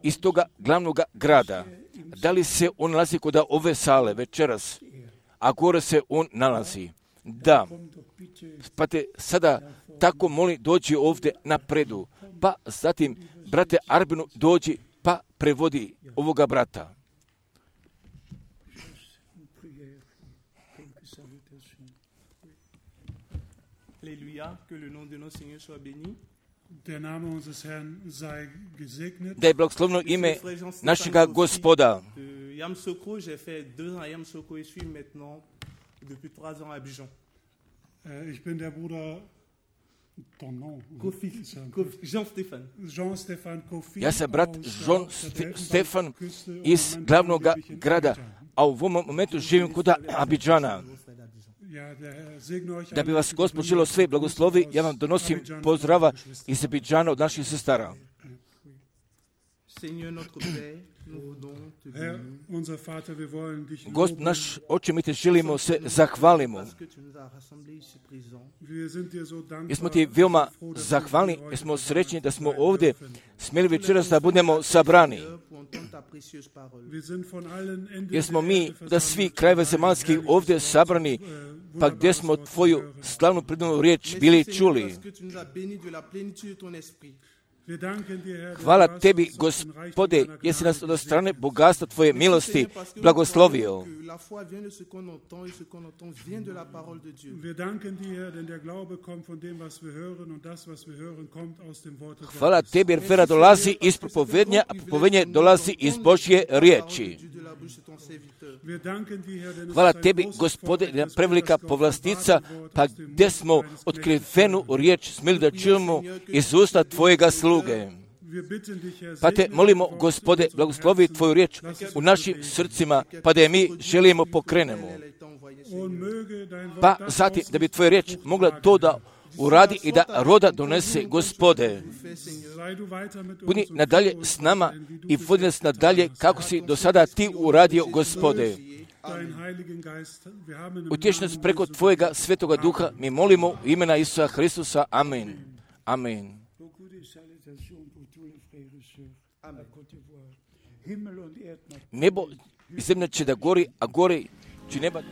Iz toga glavnog grada. Da li se on nalazi kod ove sale večeras? A gore se on nalazi. Da. Pa te sada tako moli dođi ovdje napredu. Pa zatim, brate Arbinu, dođi pa prevodi ovoga brata. Alléluia, que le nom de notre Seigneur soit béni. Der Name unseres Herrn sei gesegnet. Da je blagoslovno ime našega Gospoda. Yamoussoukro, j'ai fait deux ans à Yamoussoukro et je suis maintenant depuis trois ans à Abidjan. Ich bin der Bruder ton nom. Kofi, Kofi, Jean-Stéphane. Jean-Stéphane Kofi. Ja sam brat Jean-Stéphane iz glavnog grada, a u ovom momentu živim kod Abidžana. Da bi vas Gospod želio sve blagoslovi, ja vam donosim pozdrava iz Abidžana od naših sestara. Gospod naš, Oče, mi Te želimo se zahvalimo. Jer smo Ti veoma zahvalni, jer smo srećni da smo ovdje smjeli večeras da budemo sabrani. Jer smo mi da svi krajeva zemaljskih ovdje sabrani, pa gdje smo Tvoju slavnu predanu riječ bili čuli. Hvala Tebi, Gospode, jesi nas od strane bogatstva Tvoje milosti blagoslovio. Hvala Tebi, jer vera dolazi iz propovednja, a propovednje dolazi iz Božje riječi. Hvala Tebi, Gospode, da je prevelika povlastica, pa gdje smo otkrivenu riječ smjeli da čujemo iz usta Tvojega sluge. Pa Te molimo, Gospode, blagoslovi Tvoju riječ u našim srcima, pa da je mi želimo pokrenemo. Pa zatim da bi Tvoja riječ mogla to da uradi i da roda donese, Gospode. Budi nadalje s nama i vodi nas nadalje kako si do sada Ti uradio, Gospode. Utješi nas preko Tvojega Svetoga Duha, mi molimo u imena Isusa Hristusa. Amen. Amen. Nebo i zemlja će da gori, a gori će neba.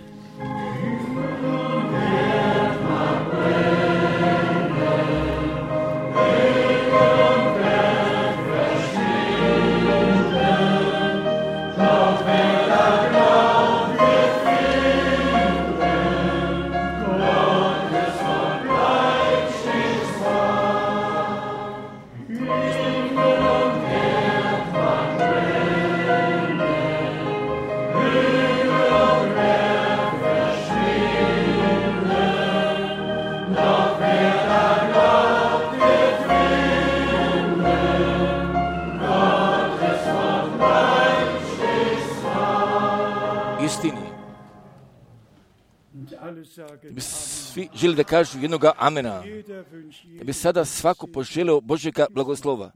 sagen, Da bi svi želi da kažu jednoga amena. jeder wünscht Da bi sada svako poželeo Božjega blagoslova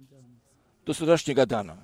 do sutrašnjega dana.